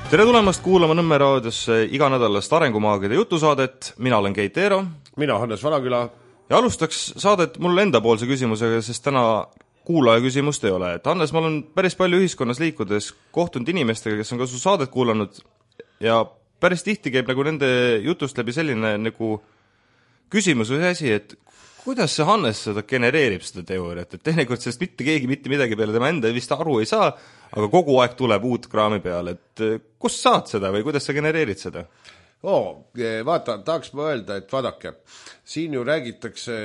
Tere tulemast kuulama Nõmme raadiosse iganädalast arengumaagide jutusaadet. Mina olen Keit Eero. Mina Hannes Valaküla. Ja alustaks saadet mul enda poolse küsimusega, sest täna kuulaja küsimust ei ole. Et Hannes, ma olen päris palju ühiskonnas liikudes kohtunud inimestega, kes on ka su saadet kuulanud ja päris tihti käib nagu nende jutust läbi selline nagu küsimus või asi, et kuidas see Hannes seda genereerib seda teooriat, et teinekord sellest mitte keegi mitte midagi peale tema enda vist aru ei saa, aga kogu aeg tuleb uut kraami peale, et kust saad seda või kuidas sa genereerid seda? Vaata, tahaks ma öelda, et vaadake, siin ju räägitakse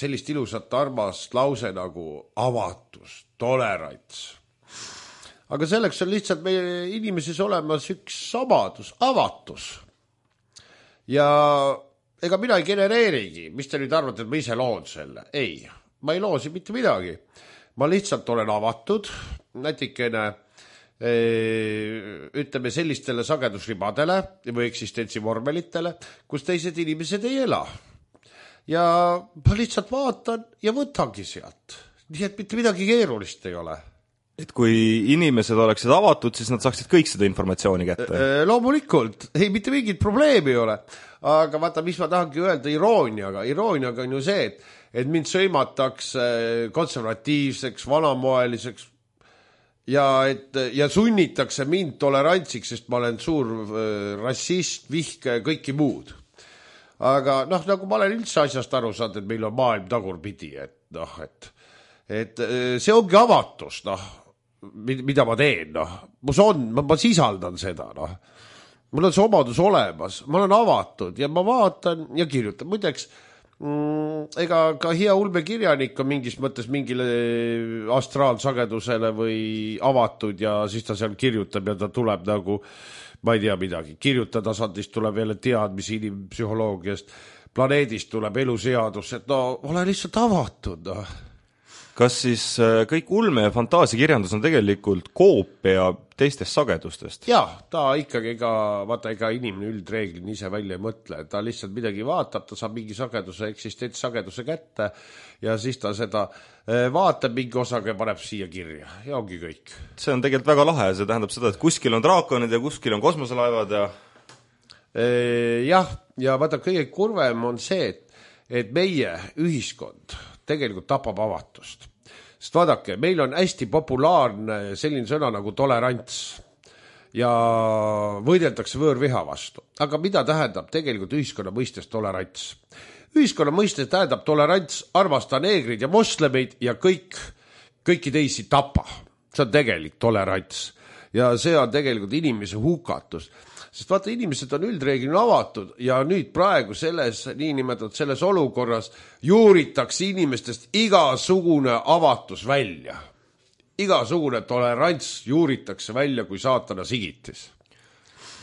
sellist ilusat armast lause nagu avatus, tolerants. Aga selleks on lihtsalt meie inimeses olemas üks samadus, avatus. Ja ega mina ei genereerigi, mis te nüüd arvate, et ma ise loon selle? Ei, ma ei loosi mitte midagi. Ma lihtsalt olen avatud, natikene ütleme sellistele sagedusribadele või eksistentsivormelitele, kus teised inimesed ei ela. Ja ma lihtsalt vaatan ja võtangi sealt. Nii et mitte midagi keerulist ei ole. Et kui inimesed oleksid avatud, siis nad saaksid kõik seda informatsiooni kätte? Loomulikult, ei, mitte mingit probleemi ei ole. Aga vaata, mis ma tahangi öelda irooniaga. Irooniaga on ju see, et mind sõimatakse konservatiivseks, vanamoeliseks ja sunnitakse mind tolerantsiks, sest ma olen suur rassist, vihke ja kõiki muud. Aga nagu ma olen üldse asjast aru saanud, et meil on maailm tagurpidi, et see ongi avatus, mida ma teen, ma sisaldan seda, mul on see omadus olemas, ma olen avatud ja ma vaatan ja kirjutan. Muideks, ega ka hea ulmekirjanik on mingis mõttes mingile astraalsagedusele või avatud ja siis ta seal kirjutab ja ta tuleb nagu, ma ei tea midagi, kirjutajasandist tuleb jälle teadmisi inimpsühholoogiast, planeedist tuleb eluseadus, et ole lihtsalt avatud, Kas siis kõik ulme ja fantaasiakirjandus on tegelikult koopia teistest sagedustest? Jaa, ta ikkagi ega inimene üldreeglini ise välja ei mõtle. Ta lihtsalt midagi vaatab, ta saab mingi sageduse, eksistentsageduse kätte ja siis ta seda vaatab mingi osaga ja paneb siia kirja. Ja ongi kõik. See on tegelikult väga lahe. See tähendab seda, et kuskil on draakonid ja kuskil on kosmoselaevad ja... Jah, ja vaata, kõige kurvem on see, et meie ühiskond tegelikult tapab avatust. Sest vaadake, meil on hästi populaarne selline sõna nagu tolerants ja võideldakse võõrviha vastu. Aga mida tähendab tegelikult ühiskonna mõistes tolerants? Ühiskonna mõistes tähendab tolerants armasta neegrid ja moslemeid ja kõiki teisi tapa. See on tegelik tolerants ja see on tegelikult inimese hukatus. Sest vaata, inimesed on üldreeglina avatud ja nüüd praegu selles olukorras juuritakse inimestest igasugune avatus välja. Igasugune tolerants juuritakse välja kui saatana sigitis.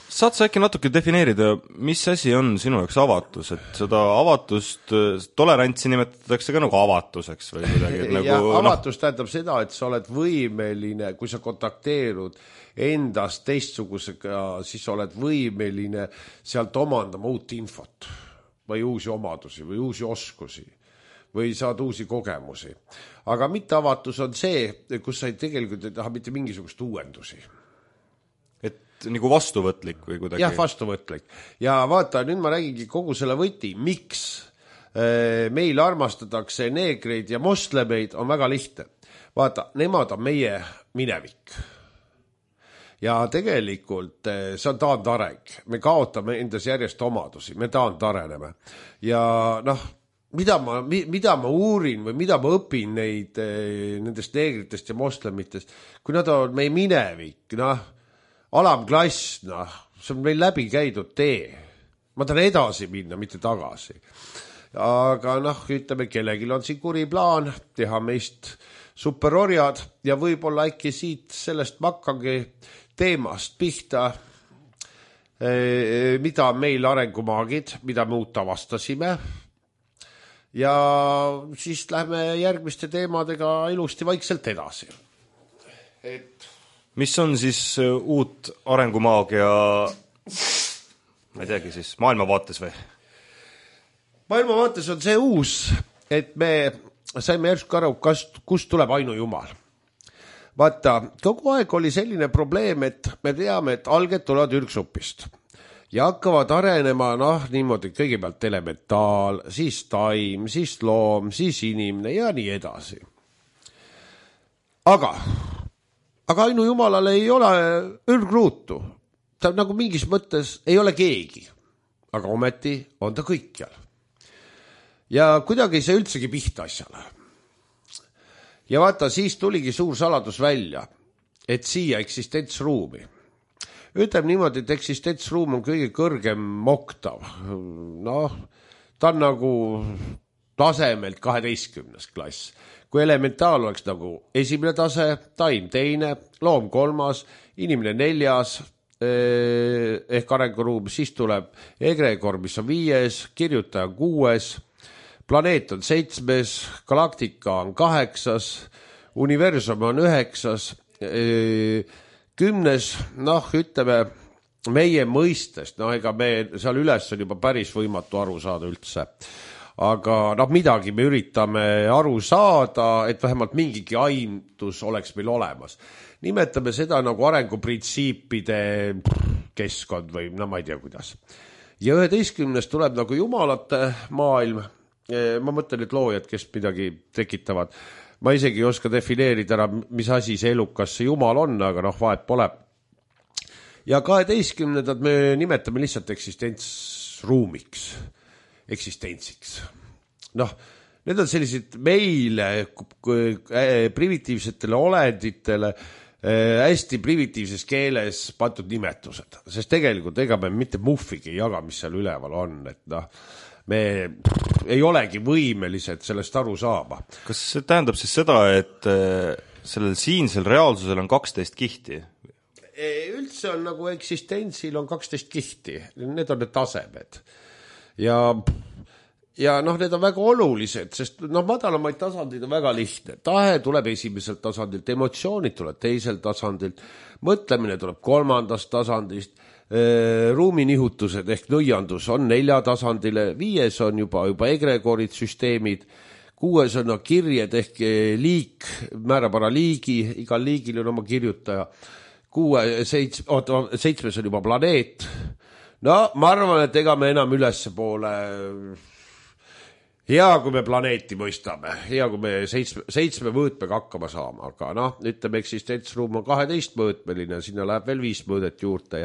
Saad sa äkki natuke defineerida, mis asi on sinu jaoks avatus? Et seda avatust, tolerantsi nimetatakse ka nagu avatuseks või kuidagi? Ja avatus tähendab seda, et sa oled võimeline, kui sa kontakteerud endast teistsugusega, siis oled võimeline sealt omandama uut infot või uusi omadusi või uusi oskusi või saad uusi kogemusi. Aga mitte avatus on see, kus sa tegelikult ei taha mitte mingisugust uuendusi. Et nagu vastuvõtlik või kuidagi? Jah, vastuvõtlik. Ja vaata, nüüd ma räägingi kogu selle võti, miks meil armastatakse neegreid ja moslemeid on väga lihtne. Vaata, nemad on meie minevik. Ja tegelikult see on taandareng. Me kaotame endas järjest omadusi, me taandareneme. Ja mida ma uurin või mida ma õpin nendest neegritest ja moslemitest, kui nad on meie minevik, alamklass, see on meil läbi käidud tee. Ma tahan edasi minna, mitte tagasi. Aga ütleme, kellelgi on siin kuri plaan teha meist superorjad ja võib-olla äkki siit sellest makkangi teemast pihta, mida meil arengumaagid, mida me uut avastasime ja siis lähme järgmiste teemadega ilusti vaikselt edasi. Mis on siis uut arengumaagia, ma ei teagi siis, maailmavaates või? Maailmavaates on see uus, et me saime järsku aru, kust tuleb ainujumal. vaata, kogu aeg oli selline probleem, et me teame, et alged tulevad ürgsupist ja hakkavad arenema, niimoodi kõigepealt elementaal, siis taim, siis loom, siis inimene ja nii edasi. Aga ainujumalale ei ole ürgruutu. Ta nagu mingis mõttes ei ole keegi, aga ometi on ta kõikjal. Ja kuidagi ei saa üldsegi pihta asjale. Ja vaata, siis tuligi suur saladus välja, et siia eksistentsruumi. Ütleme niimoodi, et eksistentsruum on kõige kõrgem oktav. Ta on nagu tasemelt 12. klass. Kui elementaal oleks nagu esimene tase, taim teine, loom 3, inimene 4, ehk arenguruum, siis tuleb egregor, mis on 5, kirjutaja 6, planeet on 7, galaktika on 8, universum on 9, 10, ütleme meie mõistest, ega me seal üles on juba päris võimatu aru saada üldse. Aga midagi me üritame aru saada, et vähemalt mingigi aimdus oleks meil olemas. Nimetame seda nagu arenguprintsiipide keskkond või ma ei tea kuidas. Ja 11. tuleb nagu jumalate maailm. Ma mõtlen, et loojad, kes midagi tekitavad. Ma isegi ei oska defineerida ära, mis asi see elukas see jumal on, aga vahet pole. Ja 12. me nimetame lihtsalt eksistentsruumiks. Eksistentsiks. Need on sellised meile primitiivsetele olenditele hästi primitiivses keeles pandud nimetused, sest tegelikult ega me mitte muffigi ei jaga, mis seal üleval on, et me ei olegi võimelised sellest aru saama. Kas see tähendab siis seda, et sellel siinsel reaalsusel on 12 kihti? Üldse on nagu eksistentsil on 12 kihti, need on need tasemed. Ja need on väga olulised, sest madalamaid tasandid on väga lihtne. Tahe tuleb esimeselt tasandilt, emotsioonid tuleb teiselt tasandilt, mõtlemine tuleb 3. tasandist, ruuminihutused ehk nõiandus on 4 tasandile, 5 on juba egregorid, süsteemid, 6 on kirjed ehk liik, määrab ära liigi, igal liigil on oma kirjutaja, 7 on juba planeet. Ma arvan, et ega me enam ülesse poole, hea kui me planeeti mõistame, hea kui me 7 mõõtmega hakkama saama, aga ütleme, eksistentsruum on 12 mõõtmeline, sinna läheb veel 5 mõõdet juurde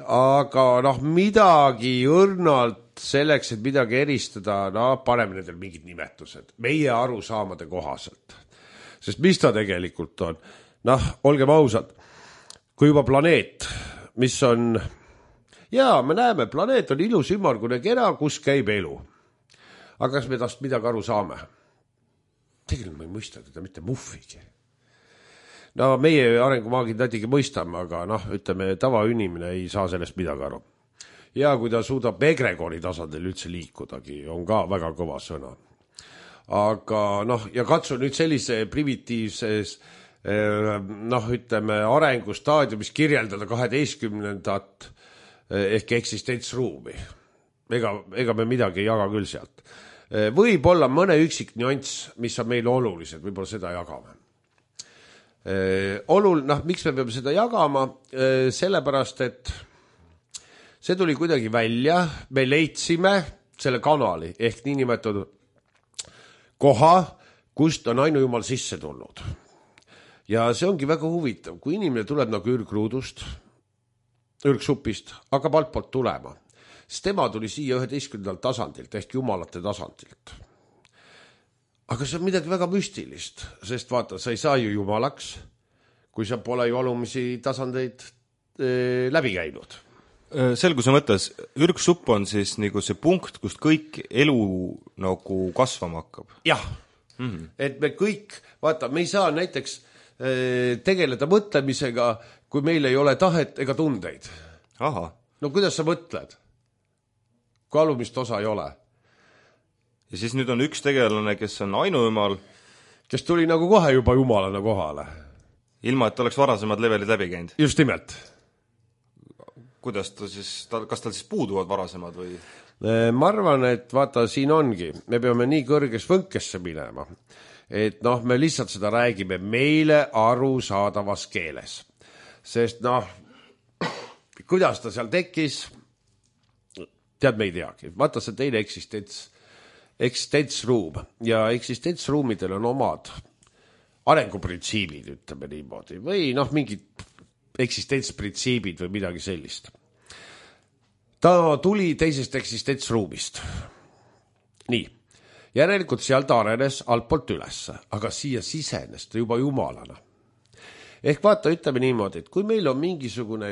aga midagi õrnalt selleks, et midagi eristada, paneme nendel mingid nimetused, meie arusaamade kohaselt. Sest mis ta tegelikult on? Olgem ausad, kui juba planeet, mis on me näeme, planeet on ilus ümmargune kera, kus käib elu. Aga kas me tast midagi aru saame? Tegelikult ma ei mõista teda mitte muffigi. Meie arengumaagid näitigi mõistame, aga ütleme, tavainimene ei saa sellest midagi aru. Ja kui ta suudab egregori tasandil üldse liikudagi, on ka väga kõva sõna. Aga ja katsu nüüd sellise primitiivses ütleme, arengustaadiumis kirjeldada 12. ehk eksistentsruumi. Ega me midagi ei jaga küll sealt. Võib olla mõne üksik nüanss, mis on meile olulised, võib-olla seda jagame. Miks me peame seda jagama? Sellepärast, et see tuli kuidagi välja, me leidsime selle kanali ehk niinimetatud koha, kust on ainujumal sisse tulnud. Ja see ongi väga huvitav, kui inimene tuleb nagu ürgruudust, ürgsupist, hakkab altpoolt tulema, siis tema tuli siia 11. tasandilt ehk jumalate tasandilt. Aga see on midagi väga müstilist, sest vaata, sa ei saa ju jumalaks, kui sa pole ju alumisi tasandeid läbi käinud. Selguse mõttes, ürgsupp on siis nagu see punkt, kust kõik elu nagu kasvama hakkab. Jah, et me kõik, vaata, me ei saa näiteks tegeleda mõtlemisega, kui meil ei ole tahet ega tundeid. Aha. Kuidas sa mõtled? Kui alumist osa ei ole. Ja siis nüüd on üks tegelane, kes on ainujumal. Kes tuli nagu kohe juba jumalana kohale. Ilma, et oleks varasemad levelid läbi käinud. Just nimelt. Kuidas ta siis, kas tal siis puuduvad varasemad või? Ma arvan, et vaata, siin ongi. Me peame nii kõrges võnkesse minema, et noh, me lihtsalt seda räägime meile arusaadavas keeles. Sest noh, kuidas ta seal tekkis, tead, me ei teagi. Vaata see teine eksistentsruum ja eksistentsruumidel on omad arenguprintsiibid, ütleme niimoodi, või noh, mingid eksistentsprintsiibid või midagi sellist. Ta tuli teisest eksistentsruumist. Nii, järelikult seal ta arenes altpoolt üles, aga siia sisenes ta juba jumalana. Ehk vaata, ütleme niimoodi, et kui meil on mingisugune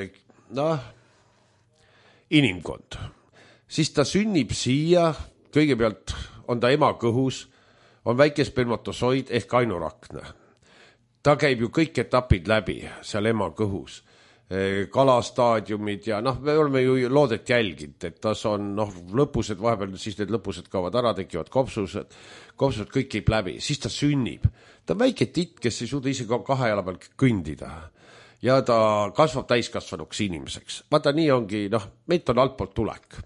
inimkond, siis ta sünnib siia, kõigepealt on ta ema kõhus, on väike spermatosoid ehk ainurakne. Ta käib ju kõik etapid läbi seal ema kõhus, kalastaadiumid ja noh, me oleme ju loodet jälginud, et tas on lõpused, vahepeal siis need lõpused kaovad ära, tekivad kopsused kõik käib läbi, siis ta sünnib. Ta on väike titt, kes ei suuda ise kahe jala peal kõndida ja ta kasvab täiskasvanuks inimeseks. Vaata, nii ongi, meilt on altpoolt tulek.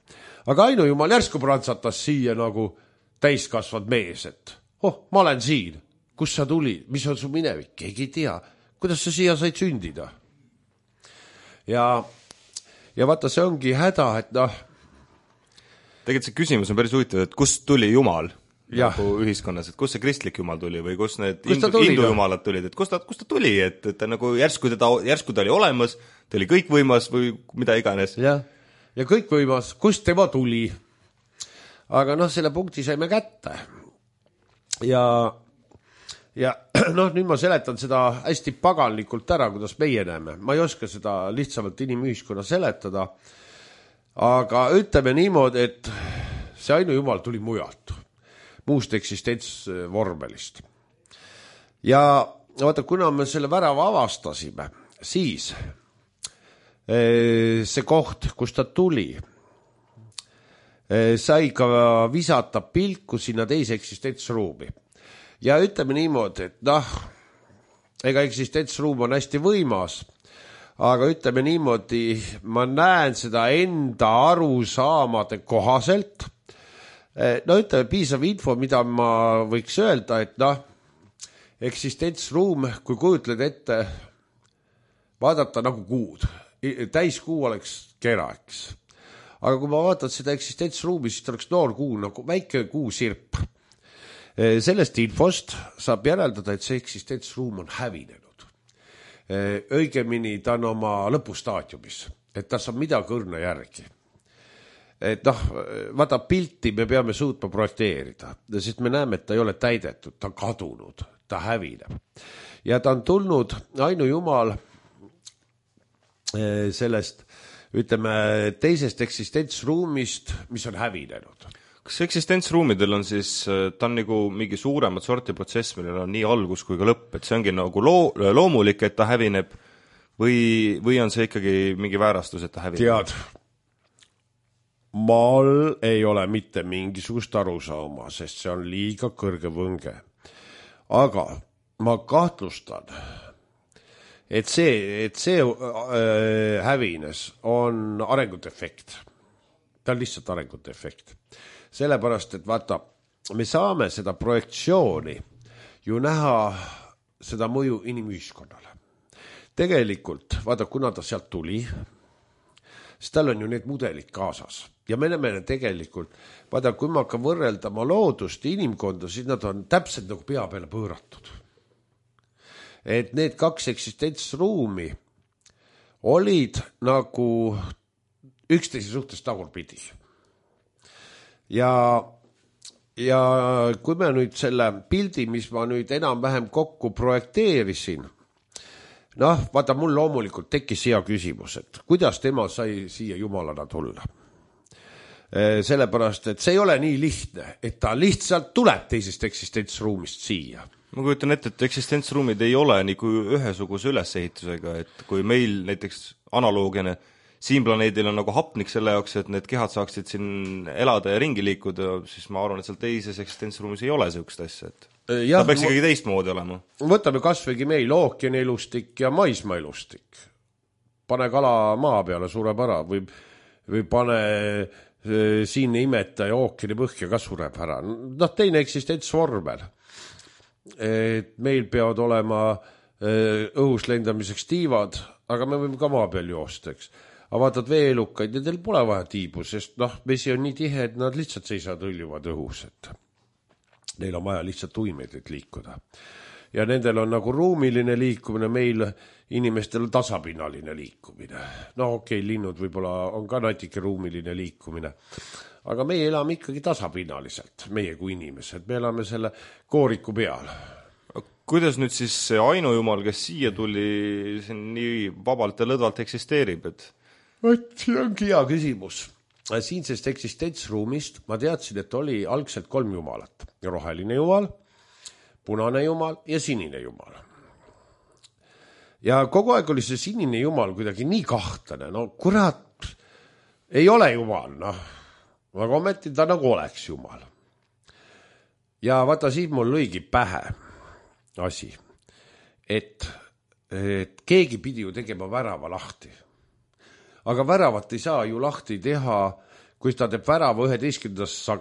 Aga Ainu Jumal järsku prantsatas siia nagu täiskasvad mees, et ma olen siin, kus sa tulid, mis on su minevik, keegi ei tea, kuidas sa siia said sündida. Ja vaata, see ongi häda, et Tegelikult see küsimus on päris huvitav, et kust tuli Jumal nagu ühiskonnas, et kust see kristlik Jumal tuli või kus need hindujumalad tulid, et kust ta tuli, et ta nagu järsku ta oli olemas, ta oli kõikvõimas või mida iganes. Ja kõikvõimas, kust tema tuli. Aga selle punkti saime kätte. Ja nüüd ma seletan seda hästi paganlikult ära, kuidas meie näeme. Ma ei oska seda lihtsamalt inimühiskonna seletada, aga ütleme niimoodi, et see Ainu Jumal tuli mujalt, muust eksistentsvormelist. Ja vaata, kuna me selle värava avastasime, siis see koht, kus ta tuli, sai ka visata pilku sinna teise eksistentsruumi. Ja ütleme niimoodi, et ega eksistentsruum on hästi võimas, aga ütleme niimoodi, ma näen seda enda arusaamade kohaselt. Ütleme piisav info, mida ma võiks öelda, et eksistentsruum, kui kujutled ette, vaadata nagu kuud. Täiskuu oleks kera, eks. Aga kui ma vaatan seda eksistentsruumi, siis oleks noor kuu, nagu väike kuusirp. Sellest infost saab järeldada, et see eksistentsruum on hävinenud. Õigemini ta on oma lõpustaadiumis, et ta saab midagi õrna järgi. Et vaata pilti me peame suutma projekteerida, sest me näeme, et ta ei ole täidetud, ta on kadunud, ta hävineb. Ja ta on tulnud Ainu Jumal sellest, ütleme, teisest eksistentsruumist, mis on hävinenud. Kas eksistentsruumidel on siis, ta on nagu mingi suuremat sorti protsess, millel on nii algus kui ka lõpp, et see ongi nagu loomulik, et ta hävineb või on see ikkagi mingi väärastus, et ta hävineb? Tead, maal ei ole mitte mingisugust arusaama, sest see on liiga kõrge võnge. Aga ma kahtlustan, et see hävines on arengute-efekt. Ta on lihtsalt arengute-efekt. Sellepärast, et vaata, me saame seda projektsiooni ju näha seda mõju inimühiskonnale. Tegelikult, vaata, kuna ta sealt tuli, siis tal on ju need mudelid kaasas. Ja me näeme tegelikult, vaata, kui ma hakkan võrreldama loodust ja inimkonda, siis nad on täpselt nagu pea peale pööratud. Et need kaks eksistentsruumi olid nagu üksteise suhtes tagurpidi. Ja kui me nüüd selle pildi, mis ma nüüd enam-vähem kokku projekteerisin, vaata, mul loomulikult tekkis hea küsimus, et kuidas tema sai siia jumalana tulla. Sellepärast, et see ei ole nii lihtne, et ta lihtsalt tuleb teisest eksistentsruumist siia. Ma kujutan ette, et eksistentsruumid ei ole nagu ühesuguse ülesehitusega, et kui meil näiteks analoogine siin planeedil on nagu hapnik selle jaoks, et need kehad saaksid siin elada ja ringi liikuda, siis ma arvan, et seal teises eksistentsruumis ei ole sellist asja, et ta peaks ikkagi teistmoodi olema. Võtame kasvõigi meil ookeani elustik ja maismaa elustik. Pane kala maa peale, sureb ära või pane siin imetaja ookeani põhja ka sureb ära. Teine eksistentsvormel. et meil peavad olema õhus lendamiseks tiivad, aga me võime ka maa peal joosta, eks. Aga vaatad veelukaid, nendel pole vaja tiibu, sest vesi on nii tihe, et nad lihtsalt seisavad hõljuvad õhus, et neil on vaja lihtsalt uimeid, et liikuda. Ja nendel on nagu ruumiline liikumine, meil inimestel on tasapinnaline liikumine. Okei, linnud võib-olla on ka natuke ruumiline liikumine, aga meie elame ikkagi tasapinnaliselt, meie kui inimesed, me elame selle kooriku peal. Kuidas nüüd siis see ainujumal, kes siia tuli, see nii vabalt ja lõdvalt eksisteerib, et see ongi hea küsimus. Siinsest eksistentsruumist ma teadsin, et oli algselt 3 jumalat. Roheline jumal, punane jumal ja sinine jumal. Ja kogu aeg oli see sinine jumal kuidagi nii kahtlane. Kurat, ei ole jumal, aga ometi ta nagu oleks jumal. Ja vaata, siin mul lõigi pähe asi, et keegi pidi ju tegema värava lahti. Aga väravat ei saa ju lahti teha, kui ta teeb värava 11.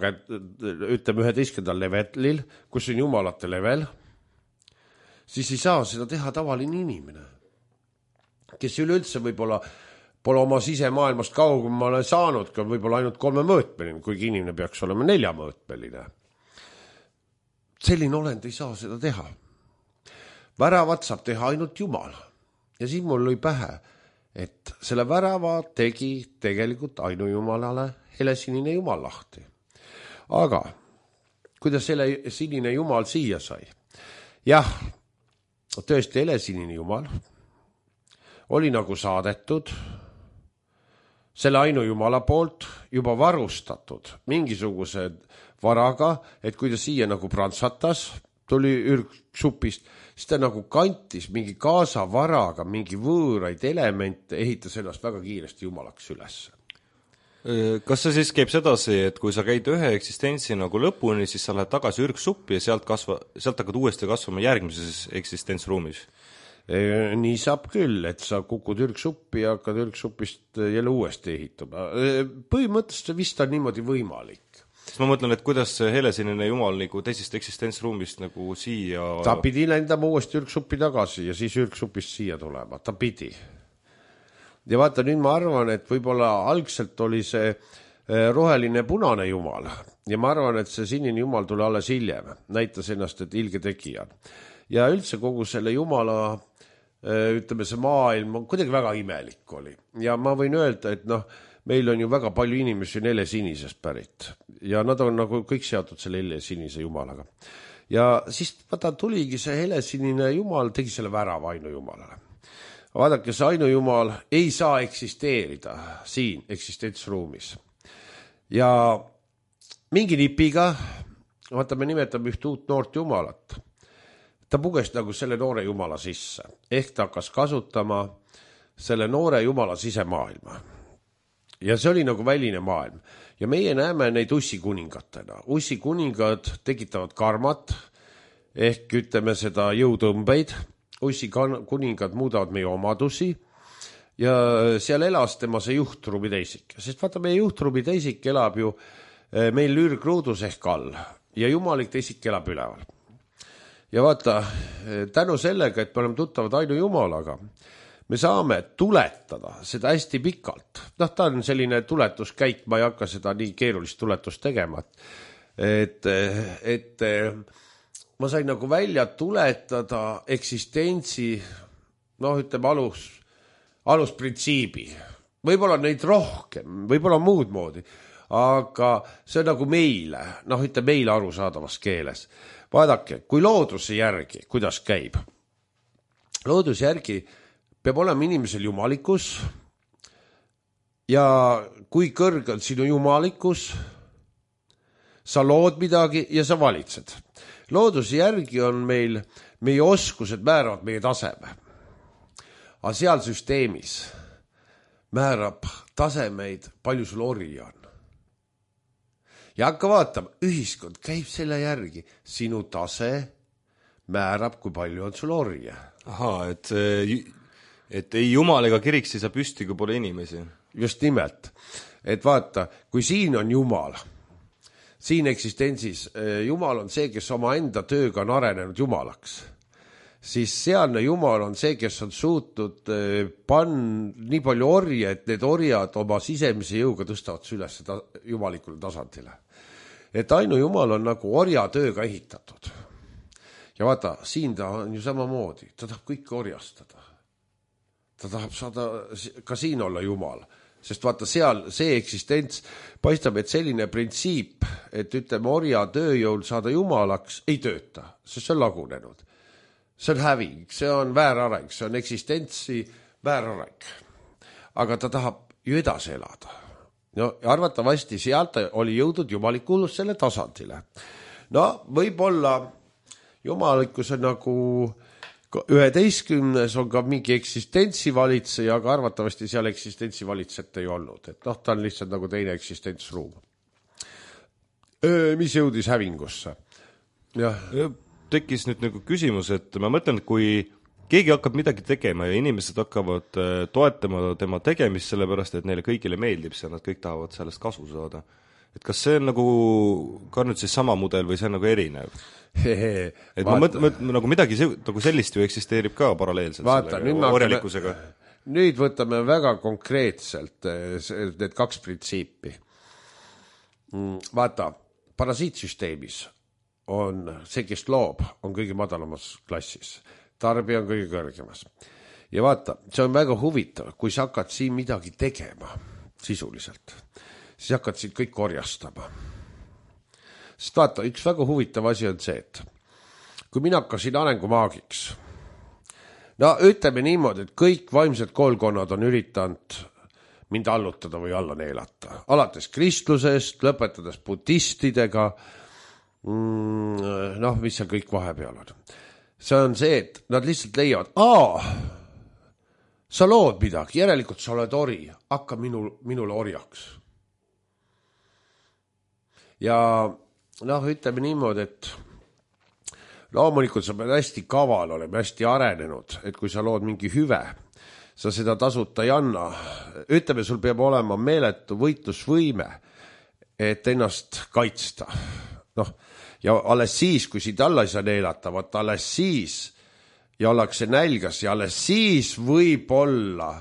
levelil, kus on jumalate level, siis ei saa seda teha tavaline inimene, kes üleüldse võib-olla pole oma sisemaailmast kaugemale saanud, ka võib-olla ainult 3-mõõtmeline, kuigi inimene peaks olema 4-mõõtmeline. Selline olend ei saa seda teha. Väravat saab teha ainult jumal. Ja siin mul lõi pähe, et selle värava tegi tegelikult ainujumalale helesinine jumal lahti. Aga kuidas helesinine jumal siia sai? Jah, tõesti helesinine jumal oli nagu saadetud selle ainujumala poolt juba varustatud mingisuguse varaga, et kui ta siia nagu prantsatas, tuli ürgsupist, siis ta nagu kantis mingi kaasavaraga mingi võõraid elemente, ehitas ennast väga kiiresti jumalaks üles. Kas see siis käib sedasi, et kui sa käid ühe eksistentsi nagu lõpuni, siis sa lähed tagasi ürgsuppi ja sealt hakkad uuesti kasvama järgmises eksistentsruumis? Nii saab küll, et sa kukud ürgsuppi ja hakkad ürgsupist jälle uuesti ehitama. Põhimõtteliselt vist on niimoodi võimalik. Siis ma mõtlen, et kuidas see helesinine jumal nagu teisest eksistentsruumist nagu siia... Ta pidi lendama uuesti ürgsuppi tagasi ja siis ürgsupist siia tulema. Ta pidi. Ja vaata, nüüd ma arvan, et võib-olla algselt oli see roheline punane jumal ja ma arvan, et see sinine jumal tuli alles hiljem. Näitas ennast, et ilge tegija. Ja üldse kogu selle jumala, ütleme, see maailm on kuidagi väga imelik oli. Ja ma võin öelda, et meil on ju väga palju inimesi on helesinisest pärit ja nad on nagu kõik seotud selle helesinise jumalaga. Ja siis vaata tuligi see helesinine jumal, tegi selle värava ainujumalale. Vaadake, see ainujumal ei saa eksisteerida siin eksistentsruumis. Ja mingi nipiga, vaata me nimetame üht uut noort jumalat, ta puges nagu selle noore jumala sisse. Ehk ta hakkas kasutama selle noore jumala sisemaailma. Ja see oli nagu väline maailm. Ja meie näeme neid ussikuningatena. Ussikuningad tekitavad karmat, ehk ütleme seda jõutõmbeid. Ussikuningad muudavad meie omadusi ja seal elas tema see juhtruumi teisik. Sest vaata, meie juhtruumi teisik elab ju meil ürgruudus ehk all ja jumalik teisik elab üleval. Ja vaata, tänu sellega, et me oleme tuttavad ainujumalaga, me saame tuletada seda hästi pikalt. Ta on selline tuletuskäik, ma ei hakka seda nii keerulist tuletust tegema. Et ma sain nagu välja tuletada eksistentsi, ütleme alusprintsiibi. Võib-olla neid rohkem, võib-olla muud moodi, aga see on nagu meile, ütleme meile arusaadavas keeles. Vaadake, kui looduse järgi, kuidas käib? Looduse järgi peab olema inimesel jumalikus ja kui kõrge on sinu jumalikus, sa lood midagi ja sa valitsed. Looduse järgi on meil, meie oskused määravad meie taseme. Aga seal süsteemis määrab tasemeid, palju sul orja on. Ja hakka vaatama, ühiskond käib selle järgi. Sinu tase määrab, kui palju on sul orja. Ahaa, et ei jumal ega kirik siis püsti, kui pole inimesi. Just nimelt. Et vaata, kui siin on jumal, siin eksistentsis Jumal on see, kes oma enda tööga on arenenud Jumalaks, siis sealne Jumal on see, kes on suutnud nii palju orje, et need orjad oma sisemise jõuga tõstavad üles jumalikule tasandile. Et ainu Jumal on nagu orja tööga ehitatud. Ja vaata, siin ta on ju samamoodi, ta tahab kõike orjastada. Ta tahab saada ka siin olla Jumal. Sest vaata seal see eksistents paistab, et selline printsiip, et ütleme orja tööjõul saada Jumalaks, ei tööta, sest see on lagunenud. See on häving, see on väärareng, see on eksistentsi väärareng. Aga ta tahab ju edasi elada. No, arvatavasti sealt oli jõudnud jumalikkus selle tasandile. No, võib-olla jumalikkuse nagu 11 on ka mingi eksistentsi valitseja, aga arvatavasti seal eksistentsi valitsejat ei olnud. Et noh, ta on lihtsalt nagu teine eksistentsruum. Mis jõudis hävingusse? Jah. Tekkis nüüd nagu küsimus, et ma mõtlen, et kui keegi hakkab midagi tegema ja inimesed hakkavad toetama tema tegemist sellepärast, et neile kõigile meeldib see, nad kõik tahavad sellest kasu saada. Et kas see on nagu ka nüüd siis sama mudel või see on nagu erinev? Et ma mõtlen, nagu midagi nagu sellist ju eksisteerib ka paralleelselt orjalikkusega. Nüüd võtame väga konkreetselt need 2 printsiipi. Vaata, parasiitsüsteemis on see, kes loob, on kõige madalamas klassis. Tarbija on kõige kõrgemas. Ja vaata, see on väga huvitav, kui sa hakkad siin midagi tegema sisuliselt, siis hakkad siin kõik orjastama. Sest vaata, üks väga huvitav asi on see, et kui mina hakkasin arengumaagiks, no ütleme niimoodi, et kõik vaimsed koolkonnad on üritanud mind allutada või alla neelata. Alates kristlusest, lõpetades budistidega, noh, mis seal kõik vahepeal on. See on see, et nad lihtsalt leiavad, sa lood midagi, järelikult sa oled ori, hakka minule orjaks. Ja noh, ütleme niimoodi, et loomulikult sa pead hästi kaval olema, hästi arenenud, et kui sa lood mingi hüve, sa seda tasuta ei anna. Ütleme, sul peab olema meeletu võitlusvõime, et ennast kaitsta. Noh, ja alles siis, kui siit alla ei saa neelata, vaata alles siis ja ollakse nälgas ja alles siis võib-olla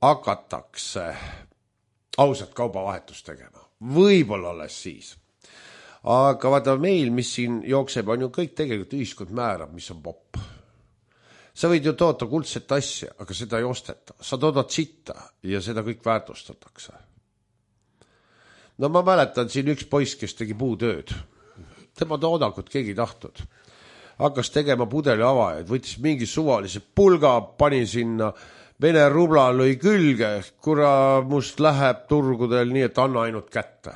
hakatakse ausat kaubavahetust tegema. Võib-olla alles siis. Aga vaata meil, mis siin jookseb, on ju kõik tegelikult ühiskond määrab, mis on popp. Sa võid ju toota kuldset asja, aga seda ei osteta. Sa toodad sitta ja seda kõik väärtustatakse. No ma mäletan siin üks poiss, kes tegi puutööd. Tema toodangut keegi tahtnud. Hakkas tegema pudeli avajaid, võttis mingi suvalise pulga, pani sinna Vene rubla lõi külge, must läheb turgudel nii, et anna ainult kätte.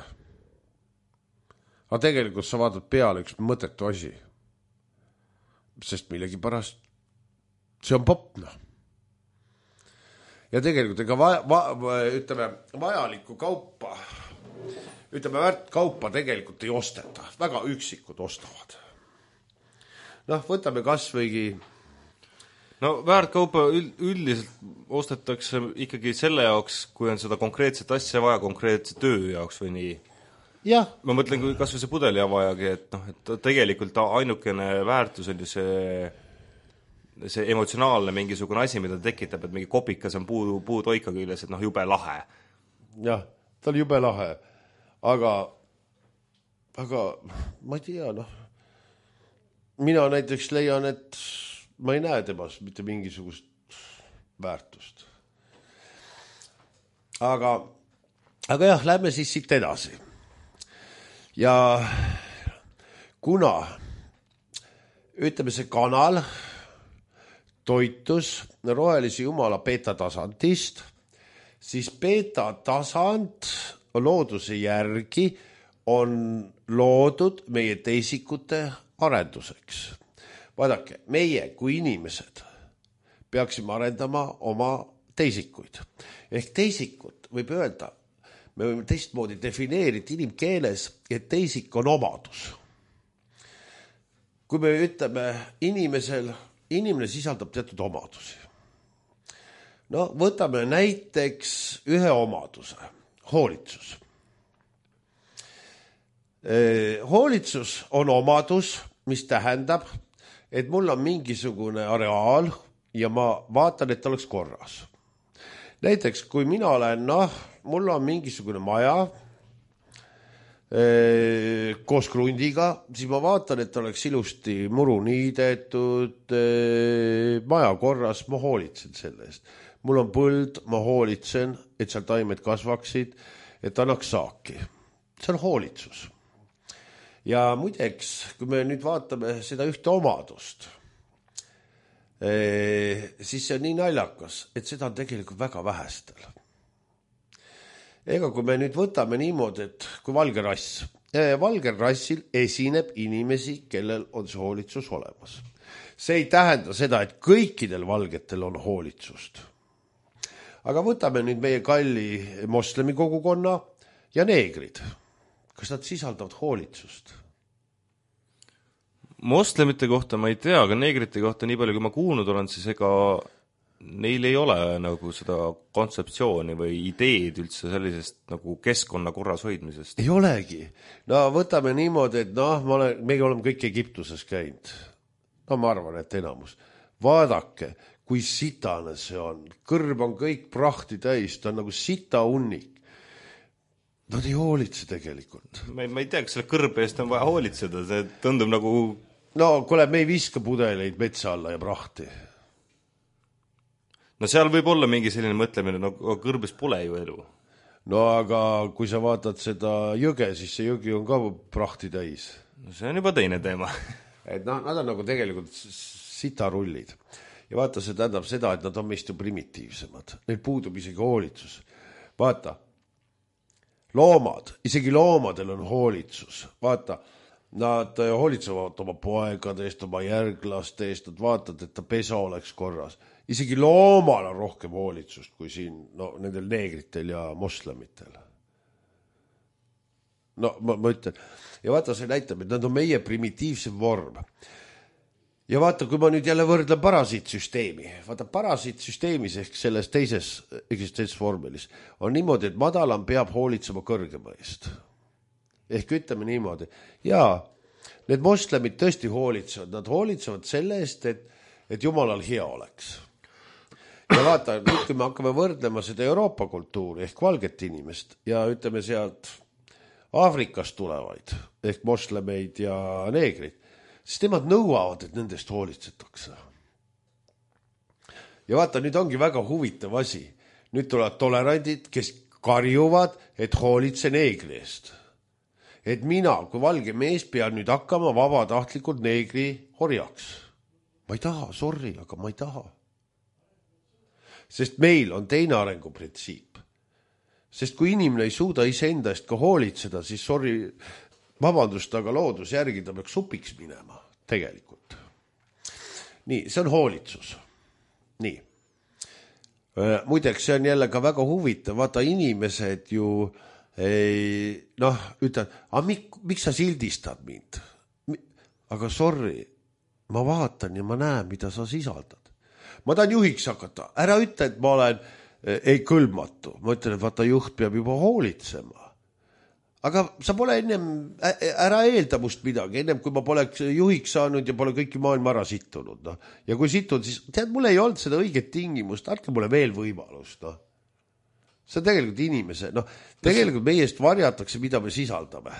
Aga tegelikult sa vaatad peale üks mõtetu asi. Sest millegi pärast see on popna. Ja tegelikult ega ütleme, vajalikku kaupa, ütleme, väärt kaupa tegelikult ei osteta. Väga üksikud ostavad. Noh, võtame kas võigi... No väärtkaupa üldiselt ostetakse ikkagi selle jaoks, kui on seda konkreetset asja vaja konkreetse töö jaoks või nii. Jah. Ma mõtlen, kui kas või see pudeli avajagi, et tegelikult ainukene väärtus on ju see emotsionaalne mingisugune asi, mida tekitab, et mingi kopikas on puutoika küljes, et jube lahe. Jah, ta oli jube lahe. Aga ma ei tea, mina näiteks leian, et ma ei näe temas mitte mingisugust väärtust. Aga jah, lähme siis siit edasi. Ja kuna, ütleme, see kanal toitus rohelise jumala beta-tasandist, siis beta-tasand looduse järgi on loodud meie teisikute arenduseks. Vaadake, meie kui inimesed peaksime arendama oma teisikuid. Ehk teisikut võib öelda, me võime teistmoodi defineerida inimkeeles, et teisik on omadus. Kui me ütleme inimene sisaldab teatud omadusi. Võtame näiteks ühe omaduse, hoolitsus. Hoolitsus on omadus, mis tähendab, et mul on mingisugune areaal ja ma vaatan, et ta oleks korras. Näiteks, kui mina olen, mul on mingisugune maja koos krundiga, siis ma vaatan, et oleks ilusti muru niidetud, maja korras, ma hoolitsen selle eest. Mul on põld, ma hoolitsen, et seal taimed kasvaksid, et annaks saaki. See on hoolitsus. Ja muideks, kui me nüüd vaatame seda ühte omadust, siis see on nii naljakas, et seda on tegelikult väga vähestel. Ega kui me nüüd võtame niimoodi, et kui valge rass, valgel rassil esineb inimesi, kellel on see hoolitsus olemas. See ei tähenda seda, et kõikidel valgetel on hoolitsust. Aga võtame nüüd meie kalli moslemi kogukonna ja neegrid. Kas nad sisaldavad hoolitsust? Moslemite kohta ma ei tea, aga neegrite kohta nii palju, kui ma kuulnud olen, siis ega neil ei ole nagu seda kontseptsiooni või ideed üldse sellisest nagu keskkonna korras hoidmisest. Ei olegi. No võtame niimoodi, et me oleme kõik Egiptuses käinud. No ma arvan, et enamus. Vaadake, kui sitane see on. Kõrb on kõik prahti täis, ta on nagu sita unnik. Nad ei hoolitse tegelikult. Ma ei tea, kas selle kõrbe eest on vaja hoolitseda, see tundub nagu... No kuule, me ei viska pudeleid metsa alla ja prahti. No seal võib olla mingi selline mõtlemine, no kõrbes pole ju elu. No aga kui sa vaatad seda jõge, siis see jõgi on ka prahti täis. No see on juba teine teema. Et nad on nagu tegelikult sitarullid. Ja vaata, see tähendab seda, et nad on meist ju primitiivsemad. Neil puudub isegi hoolitsus. Vaata, loomad, isegi loomadel on hoolitsus. Vaata, nad hoolitsevad oma poegade eest, oma järglaste eest, nad vaatad, et ta pesa oleks korras. Isegi loomal on rohkem hoolitsust kui siin nendel neegritel ja moslemitel. No ma ütlen. Ja vaata, see näitab, et nad on meie primitiivsem vorm. Ja vaata, kui ma nüüd jälle võrdlen parasiitsüsteemi. Vaata, parasiitsüsteemis ehk selles teises eksistentsvormelis on niimoodi, et madalam peab hoolitsema kõrgema eest. Ehk ütleme niimoodi. Jaa, need moslemid tõesti hoolitsevad. Nad hoolitsevad selle eest, et Jumalal hea oleks. Ja vaata, nüüd kui me hakkame võrdlema seda Euroopa kultuuri ehk valget inimest ja ütleme sealt Aafrikast tulevaid ehk moslemeid ja neegrid, siis nemad nõuavad, et nendest hoolitsetakse. Ja vaata, nüüd ongi väga huvitav asi. Nüüd tulevad tolerandid, kes karjuvad, et hoolitse neegri eest. Et mina, kui valge mees, pean nüüd hakkama vabatahtlikult neegri orjaks. Ma ei taha, sorry, aga ma ei taha. Sest meil on teine arenguprintsiip. Sest kui inimene ei suuda iseenda eest ka hoolitseda, siis sorry, vabandust, aga loodus järgi ta peaks supiks minema, tegelikult. Nii, see on hoolitsus. Nii. Muideks, see on jälle ka väga huvitav. Vaata, inimesed ju ütlen, miks sa sildistad mind? Aga sorry, ma vaatan ja ma näen, mida sa sisaldad. Ma tahan juhiks hakata. Ära ütle, et ma olen ei kõlbmatu. Ma ütlen, et vaata, juht peab juba hoolitsema. Aga sa pole ära eelda must midagi, ennem kui ma poleks juhiks saanud ja pole kõiki maailma ära sittunud. No. Ja kui situd, siis tead, mul ei olnud seda õiget tingimust, andke mulle veel võimalust. No. See on tegelikult inimese, tegelikult meiest varjatakse, mida me sisaldame.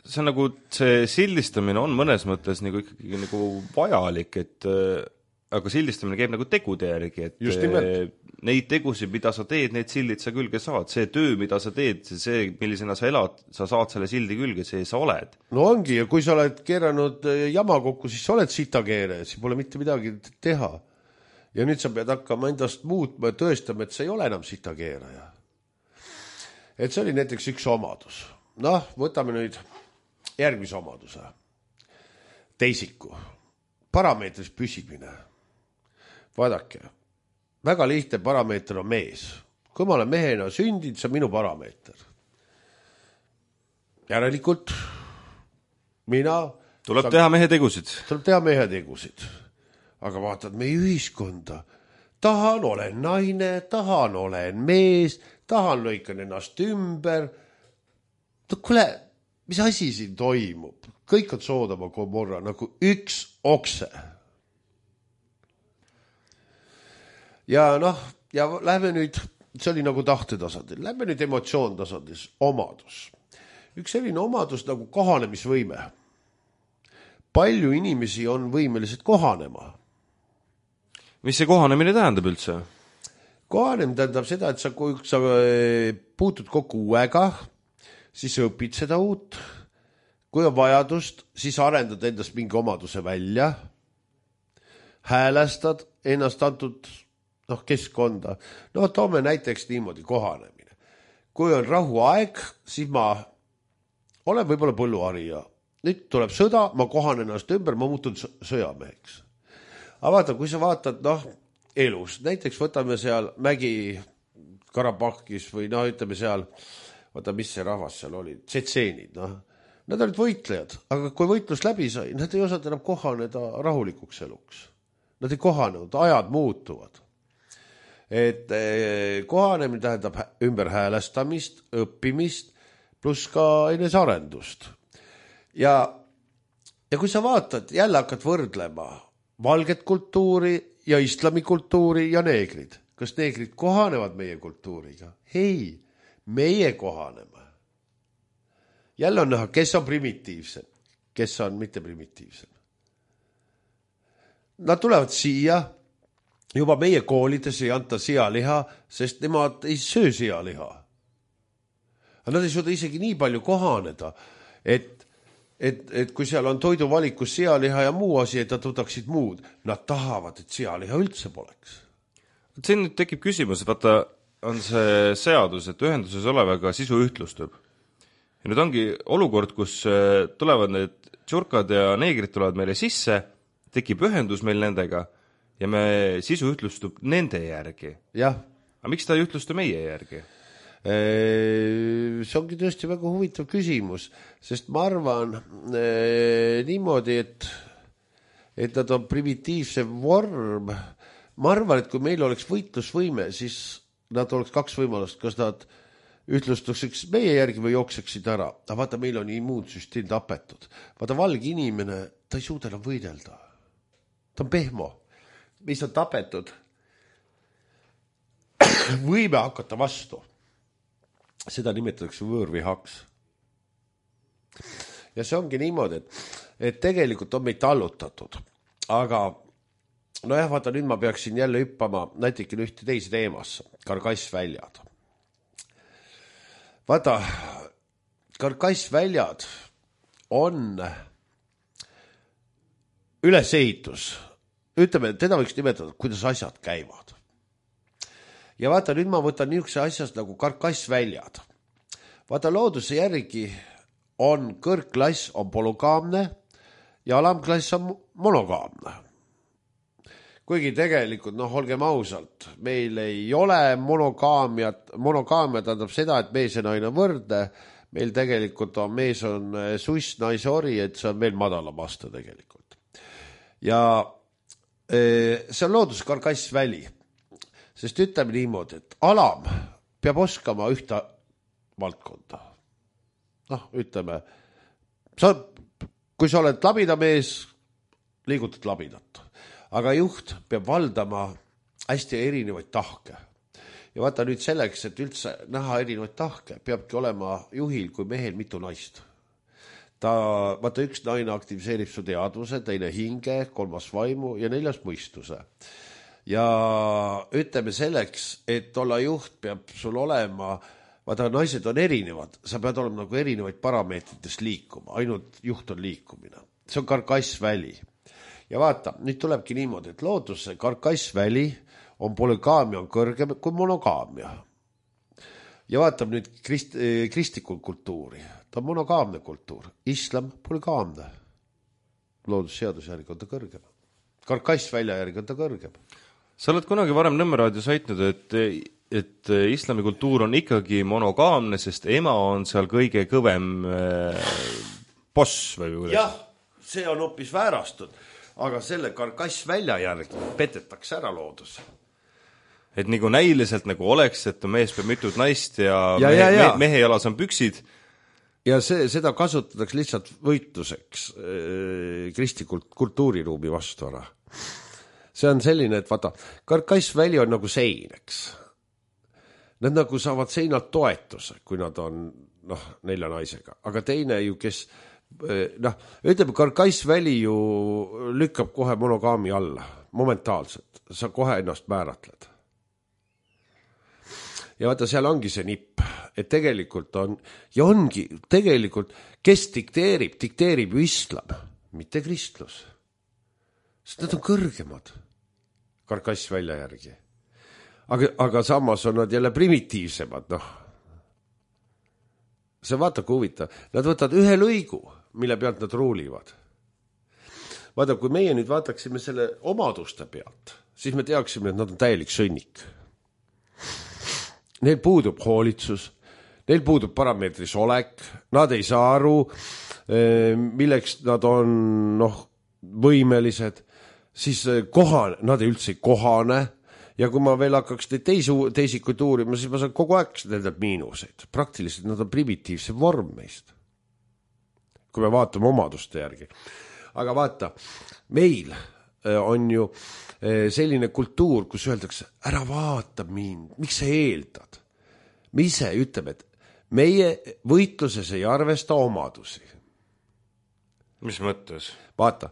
See on nagu, see sildistamine on mõnes mõttes nagu ikkagi nagu vajalik, aga sildistamine käib nagu tegude järgi, et neid tegusid, mida sa teed, need sildid sa külge saad. See töö, mida sa teed, see, millisena sa elad, sa saad selle sildi külge, see sa oled. No ongi, ja kui sa oled keeranud jama kokku, siis sa oled sitakeere, siis pole mitte midagi teha. Ja nüüd sa pead hakkama endast muutma ja tõestama, et sa ei ole enam sitakeeraja. Et see oli näiteks üks omadus. Võtame nüüd järgmise omaduse. Teisiku. Parameetris püsimine. Vaadake, väga lihtne parameeter on mees. Kui ma olen mehena sündinud, see on minu parameeter. Järelikult mina... Tuleb teha mehe tegusid. Tuleb teha mehe tegusid. Aga vaatad meie ühiskonda. Tahan, olen naine, tahan, olen mees, tahan, lõikan ennast ümber. Kuule, mis asi siin toimub? Kõik on Soodoma Gomorra nagu üks okse. Ja ja lähme nüüd, see oli nagu tahtetasandil, lähme nüüd emotsioon tasandis, omadus. Üks selline omadus nagu kohanemisvõime. Palju inimesi on võimelised kohanema. Mis see kohanemine tähendab üldse? Kohanemine tähendab seda, et sa puutud kokku uuega, siis õpid seda uut. Kui on vajadust, siis arendad endast mingi omaduse välja, häälestad ennast antud keskkonda. Toome näiteks niimoodi kohanemine. Kui on rahuaeg, siis ma olen võib-olla põlluharija. Nüüd tuleb sõda, ma kohanen ennast ümber, ma muutun sõjameheks. Aga vaata, kui sa vaatad elus, näiteks võtame seal Mägi Karabahkis või ütleme seal, vaata mis see rahvas seal oli, tsetseenid, nad olid võitlejad, aga kui võitlus läbi sai, nad ei osanud enam kohaneda rahulikuks eluks. Nad ei kohanenud, ajad muutuvad. Et kohanemine tähendab ümberhäälestamist, õppimist, pluss ka enesearendust. Ja kui sa vaatad, jälle hakkad võrdlema valget kultuuri ja islamikultuuri ja neegrid. Kas neegrid kohanevad meie kultuuriga? Ei, meie kohaneme. Jälle on näha, kes on primitiivsem, kes on mitte primitiivsem. Nad tulevad siia, juba meie koolides ei anta sealiha, sest nemad ei söö sealiha. Aga nad ei suuda isegi nii palju kohaneda, et kui seal on toiduvalikus sealiha ja muu asi, et nad võtaksid muud, nad tahavad, et sealiha üldse poleks. Siin nüüd tekib küsimus, vaata, on see seadus, et ühenduses olevaga sisu ühtlustub. Ja nüüd ongi olukord, kus tulevad need tšurkad ja neegrid tulevad meile sisse, tekib ühendus meil nendega ja me sisu ühtlustub nende järgi. Jah. Aga miks ta ei ühtlustu meie järgi? See ongi tõesti väga huvitav küsimus, sest ma arvan niimoodi, et nad on primitiivse vorm. Ma arvan, et kui meil oleks võitlusvõime, siis nad oleks kaks võimalust, kas nad ütlustuseks meie järgi või jookseksid ära. Aga vaata, meil on immuunsüsteem tapetud. Vaata, valge inimene, ta ei suuda enam võidelda. Ta on pehmo. Mis on tapetud? Võime hakata vastu. Seda nimetatakse võõrvihaks. Ja see ongi niimoodi, et tegelikult on meid tallutatud. Aga vaata, nüüd ma peaksin jälle hüppama näiteks ühte teise teemasse. Karkassväljad. Vaata, karkassväljad on ülesehitus. Ütleme, teda võiks nimetada, kuidas asjad käivad. Ja vaata, nüüd ma võtan niisuguse asjast nagu karkassväljad. Vaata, looduse järgi on kõrgklass on polygaamne ja alamklass on monogaamne. Kuigi tegelikult, olgem ausalt, meil ei ole monogaamiat. Monogaamia tähendab seda, et mees ja naine on võrdne. Meil tegelikult on mees on suss, naise ori, et see on veel madalam aste tegelikult. Ja see on looduse karkassväli. Sest ütleme niimoodi, et alam peab oskama ühte valdkonda. Ütleme, kui sa oled labida mees, liigutad labidat. Aga juht peab valdama hästi erinevaid tahke. Ja vaata nüüd selleks, et üldse näha erinevaid tahke, peabki olema juhil kui mehel mitu naist. Vaata, üks naine aktiviseerib su teadvuse, teine hinge, kolmas vaimu ja neljas mõistuse. Ja ütleme selleks, et olla juht, peab sul olema, vaata, naised on erinevad, sa pead olema nagu erinevaid parameetritest liikuma, ainult juht on liikumine. See on karkassväli. Ja vaata, nüüd tulebki niimoodi, et looduse karkassväli on polygaamia on kõrgem kui monogaamia. Ja vaatab nüüd kristlikul kultuuri. Ta on monogaamne kultuur. Islam polygaamne. Loodusseaduse järgi on ta kõrgem. Karkassvälja järgi on ta kõrgem. Sa oled kunagi varem Nõmme raadios väitnud, et islami kultuur on ikkagi monogaamne, sest ema on seal kõige kõvem boss või kuidas? Jah, see on hoopis väärastud. Aga selle karkassvälja järgi petetakse ära loodus. Et nagu näiliselt nagu oleks, et mees peab mitut naist ja mehe jalas on püksid, ja seda kasutatakse lihtsalt võitluseks kristlikult kultuuriruumi vastu ära. See on selline, et vaata, Karkassväli on nagu sein, eks. Nad nagu saavad seinalt toetuse, kui nad on 4 naisega, aga teine ju, kes ütleme, Karkassväli ju lükkab kohe monogaami alla, momentaalselt, sa kohe ennast määratled. Ja vaata, seal ongi see nipp, et tegelikult on, ja ongi tegelikult, kes dikteerib ju islam, mitte kristlus. Sest nad on kõrgemad Karkassvälja järgi. Aga samas on nad jälle primitiivsemad, See vaata, kui huvitav. Nad võtavad ühe lõigu, mille pealt nad ruulivad. Vaata, kui meie nüüd vaataksime selle omaduste pealt, siis me teaksime, et nad on täielik sõnnik. Neil puudub hoolitsus, neil puudub parameetris olek, nad ei saa aru, milleks nad on võimelised, siis nad ei üldse kohane, ja kui ma veel hakkaks teisikuid uurima, siis ma saan kogu aeg nendelt miinuseid. Praktiliselt nad on primitiivse vorm meist, kui me vaatame omaduste järgi. Aga vaata, meil on ju selline kultuur, kus öeldakse, ära vaata mind, miks sa eeldad? Me ise ütleme, et meie võitluses ei arvesta omadusi. Mis mõttes? Vaata,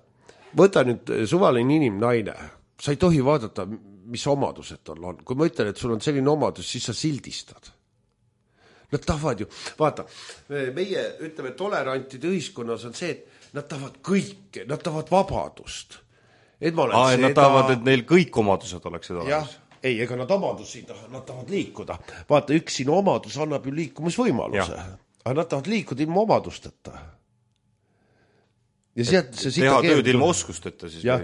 võta nüüd suvaline naine, sa ei tohi vaadata, mis omadused on. Kui ma ütlen, et sul on selline omadus, siis sa sildistad. Nad tahavad ju, vaata, meie ütleme, tolerantide ühiskonnas on see, et nad tahavad kõike, nad tahavad vabadust. Nad tahavad, et neil kõik omadused oleksid olemas. Jah, ei, ega nad omadusi taha, nad tahavad liikuda. Vaata, üks sinu omadus annab ju liikumisvõimaluse. Aga nad tahavad liikuda ilma omadusteta. Ja sealt see teha tööd ilma oskusteta siis. Jah,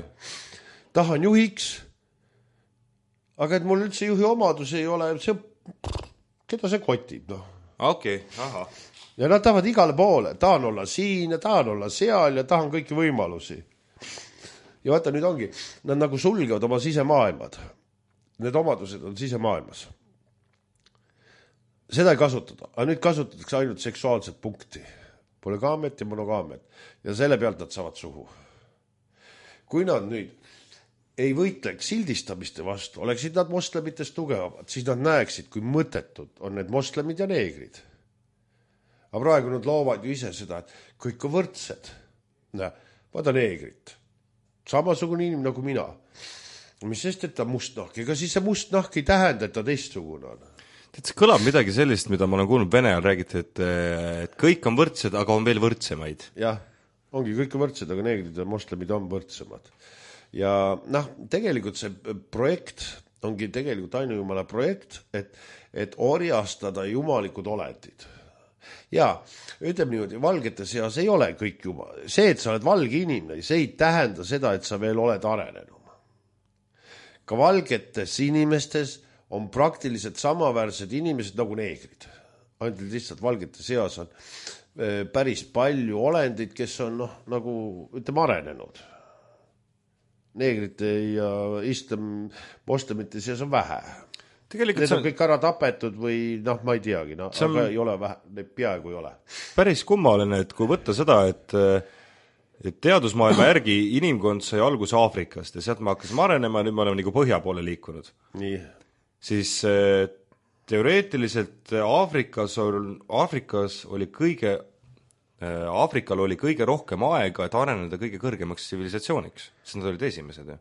tahan juhiks, aga et mul üldse juhi omadus ei ole, keda see kotib, Okei, aha. Ja nad tahavad igale poole, tahan olla siin ja tahan olla seal ja tahan kõiki võimalusi. Ja vaata, nüüd ongi, nad nagu sulgevad oma sisemaailmad. Need omadused on sisemaailmas. Seda ei kasutada, aga nüüd kasutatakse ainult seksuaalset punkti. Polügaamiat ja monogaamiat. Ja selle pealt nad saavad suhu. Kui nad nüüd ei võitleks sildistamiste vastu, oleksid nad moslemitest tugevamad, siis nad näeksid, kui mõttetud on need moslemid ja neegrid. Aga praegu nad loovad ju ise seda, et kõik on võrdsed. Vaata neegrit. Samasugune inimene nagu mina. Mis sest, et ta mustnahk? Ega siis see mustnahk ei tähenda, et ta teistsugune on. See kõlab midagi sellist, mida ma olen kuulnud Vene ajal räägiti, et kõik on võrdsed, aga on veel võrdsemaid. Jah, ongi kõik on võrdsed, aga neegrid ja moslemid on võrdsemad. Ja tegelikult see projekt ongi tegelikult ainujumala projekt, et orjastada jumalikud olendid. Ja ütleme niimoodi, valgete seas ei ole kõik jumal. See, et sa oled valge inimene, see ei tähenda seda, et sa veel oled arenenud. Ka valgetes inimestes on praktiliselt samaväärsed inimesed nagu neegrid. Ainult lihtsalt valgete seas on päris palju olendid, kes on nagu ütleme arenenud. Neegrite ja moslemite seas on vähe. Need on kõik ära tapetud või ma ei teagi, aga ei ole vähe, neid peaaegu ei ole. Päris kummaline, et kui võtta seda, et teadusmaailma järgi inimkond sai alguse Aafrikast ja sealt me hakkasime arenema, nüüd me oleme nagu põhja poole liikunud. Nii. Siis teoreetiliselt Aafrikal oli kõige rohkem aega, et areneda kõige kõrgemaks tsivilisatsiooniks, sest nad olid esimesed.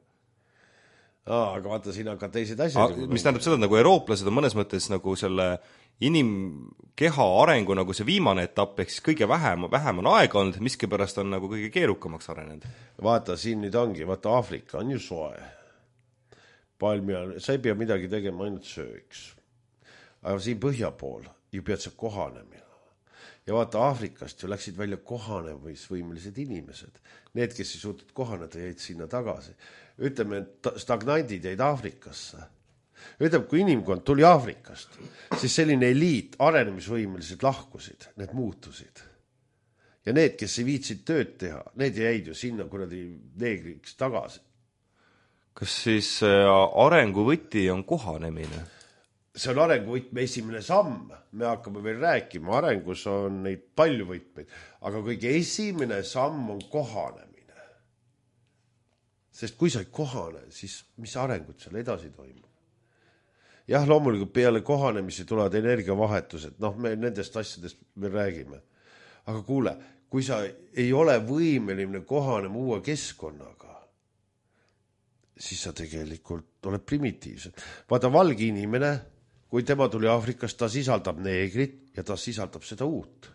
Aga vaata, siin hakkad teised asjad. Mis tähendab seda, et nagu eurooplased on mõnes mõttes nagu selle inimkeha arengu nagu see viimane etapp, ehk siis kõige vähem on aega olnud, miskipärast on nagu kõige keerukamaks arenenud. Vaata, siin nüüd ongi, vaata Aafrika on ju soe. Sa ei pea midagi tegema, ainult sööks. Aga siin põhja pool ju pead sa kohanema. Ja vaata, Aafrikast ju läksid välja kohanemisvõimelised inimesed. Need, kes ei suutnud kohaneda, jäid sinna tagasi. Ütleme, et stagnandid jäid Aafrikasse. Ütleme, kui inimkond tuli Aafrikast, siis selline eliit, arenemisvõimelised lahkusid, need muutusid. Ja need, kes ei viitsid tööd teha, need jäid ju sinna kuradi neegriks tagasi. Kas siis arenguvõti on kohanemine? see on arenguvõtme esimene samm, me hakkame veel rääkima, arengus on neid palju võtmeid, aga kõige esimene samm on kohanemine. Sest kui sa ei kohane, siis mis arengud seal edasi toimub? Jah, loomulikult peale kohanemisi tulevad energiavahetused, me nendest asjadest me räägime. Aga kuule, kui sa ei ole võimeline kohanema uue keskkonnaga, siis sa tegelikult oled primitiivsed. Vaata, valge inimene, kui tema tuli Aafrikast, ta sisaldab neegrit ja ta sisaldab seda uut.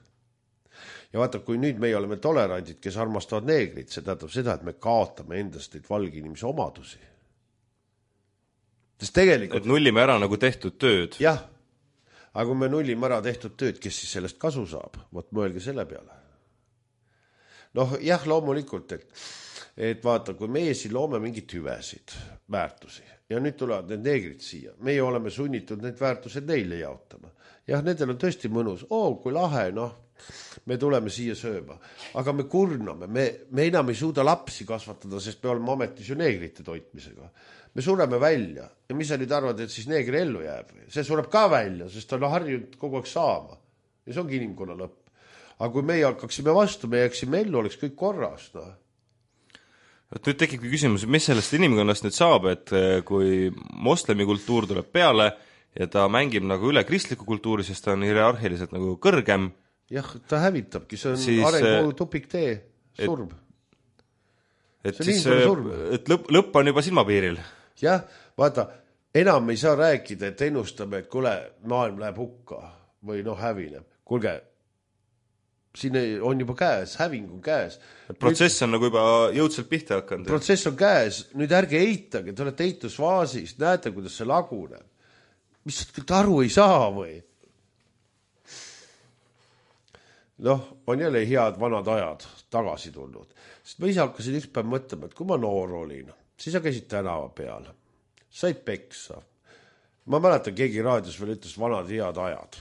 Ja vaata, kui nüüd meie oleme tolerandid, kes armastavad neegrit, see tähendab seda, et me kaotame endast neid valge inimese omadusi. Sest tegelikult... Et nullime ära nagu tehtud tööd. Jah, aga kui me nullime ära tehtud tööd, kes siis sellest kasu saab? Võt mõelge selle peale. Jah, loomulikult, et vaata, kui meie siin loome mingid hüvesid, väärtusi, ja nüüd tulevad need neegrid siia, meie oleme sunnitud need väärtused neile jaotama. Jah, nendel on tõesti mõnus, kui lahe, me tuleme siia sööma, aga me kurname, me enam ei suuda lapsi kasvatada, sest me oleme ametis ju neegrite toitmisega. Me sureme välja ja mis sa nüüd arvad, et siis neegri ellu jääb? See sureb ka välja, sest ta on harjunud kogu aeg saama. Ja see ongi inimkonna lõpp. Aga kui meie hakkaksime vastu, me jääksime ellu, oleks kõik korras. Nüüd tekibki küsimus, mis sellest inimkonnast nüüd saab, et kui moslemi kultuur tuleb peale ja ta mängib nagu üle kristliku kultuuri, sest ta on hierarhiliselt nagu kõrgem. Jah, ta hävitabki, see on arengu tupiktee, surb. Et siis et lõpp on juba silmapiiril. Jah, vaata, enam ei saa rääkida, et ennustame, et kuule, maailm läheb hukka või hävineb. Kuulge, siin on juba käes, häving on käes. Protsess on nagu juba jõudselt pihta hakanud. Protsess on käes, nüüd ärge eitage, te olete eitusfaasis, näete, kuidas see laguneb. Mis aru ei saa või? On jälle head vanad ajad tagasi tulnud. Sest ma ise hakkasin üks päev mõtlema, et kui ma noor olin, siis sa käisid tänava peal, said peksa. Ma mäletan, keegi raadios veel ütles vanad head ajad.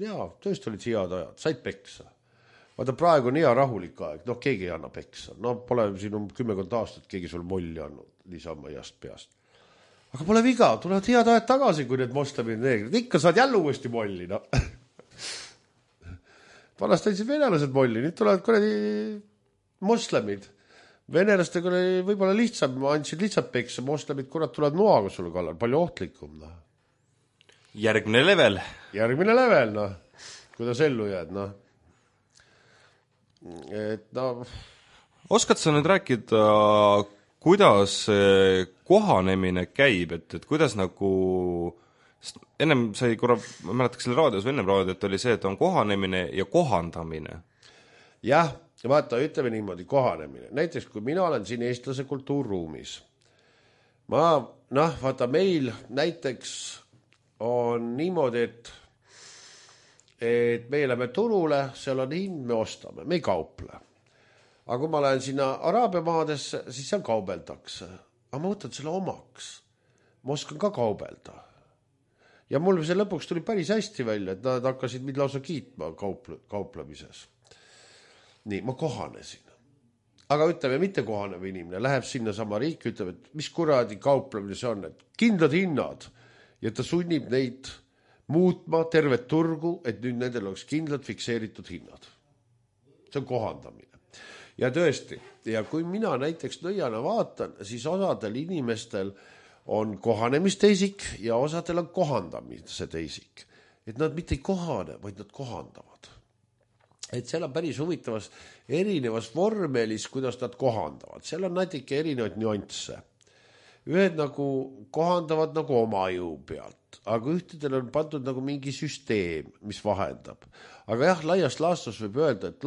Jaa, tõesti olid head ajad, said peksa. Vaata, praegu on hea rahulik aeg, keegi ei anna peksa. Pole siin 10 aastat keegi sul molli andnud, lisama jast peast. Aga pole viga, tulevad head ajad tagasi, kui need moslemid neegrid. Ikka saad jälle uuesti molli, Vanast andsid venelased molli, nüüd tulevad kuradi moslemid. Venelastega oli võib-olla lihtsam, andsid lihtsalt peksa, moslemid kurat tulevad noaga sulle kallal, palju ohtlikum. Järgmine level, kuidas ellu jääd, Oskad sa nüüd rääkida, kuidas kohanemine käib, et kuidas nagu... Ennem sai korra, ma mäletaks selle raadios või ennem raadiot oli see, et on kohanemine ja kohandamine. Jah, vaata, ütleme niimoodi, kohanemine. Näiteks, kui mina olen siin eestlase kultuurruumis, vaata, meil näiteks on niimoodi, et me läheme turule, seal on hind, me ostame, me ei kauple. Aga kui ma lähen sinna Araabia maadesse, siis seal kaubeldakse. Aga ma võtan selle omaks. Ma oskan ka kaubelda. Ja mul see lõpuks tuli päris hästi välja, et nad hakkasid mind lausa kiitma kauplemises. Nii, ma kohanesin. Aga ütleme, mitte kohanev inimene läheb sinna sama riiki, ütleb, et mis kuradi kauplemine see on, et kindlad hinnad ja ta sunnib neid muutma tervet turgu, et nüüd nendel oleks kindlad fikseeritud hinnad. See on kohandamine. Ja tõesti, ja kui mina näiteks nõiana vaatan, siis osadel inimestel on kohanemisteisik ja osadel on kohandamise teisik. Et nad mitte ei kohane, vaid nad kohandavad. Et seal on päris huvitavas erinevas vormelis, kuidas nad kohandavad. Seal on natuke erinevaid nüansse. Ühed nagu kohandavad nagu oma jõu pealt, aga ühtedel on pandud nagu mingi süsteem, mis vahendab. Aga jah, laias laastus võib öelda, et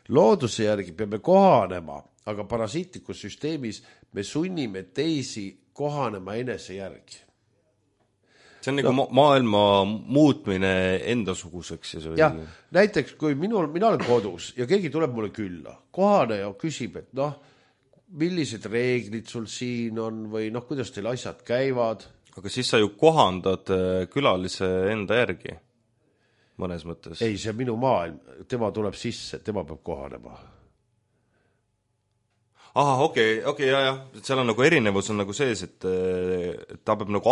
looduse järgi peame kohanema, aga parasiitlikus süsteemis me sunnime teisi kohanema enese järgi. See on nagu maailma muutmine endasuguseks. Ja näiteks, kui mina olen kodus ja keegi tuleb mulle külla, kohane ja küsib, et millised reeglid sul siin on või kuidas teil asjad käivad. Aga siis sa ju kohandad külalise enda järgi mõnes mõttes. Ei, see on minu maailm, tema tuleb sisse, tema peab kohanema. Aha, okei, jah. Seal on nagu erinevus on nagu sees, et ta peab nagu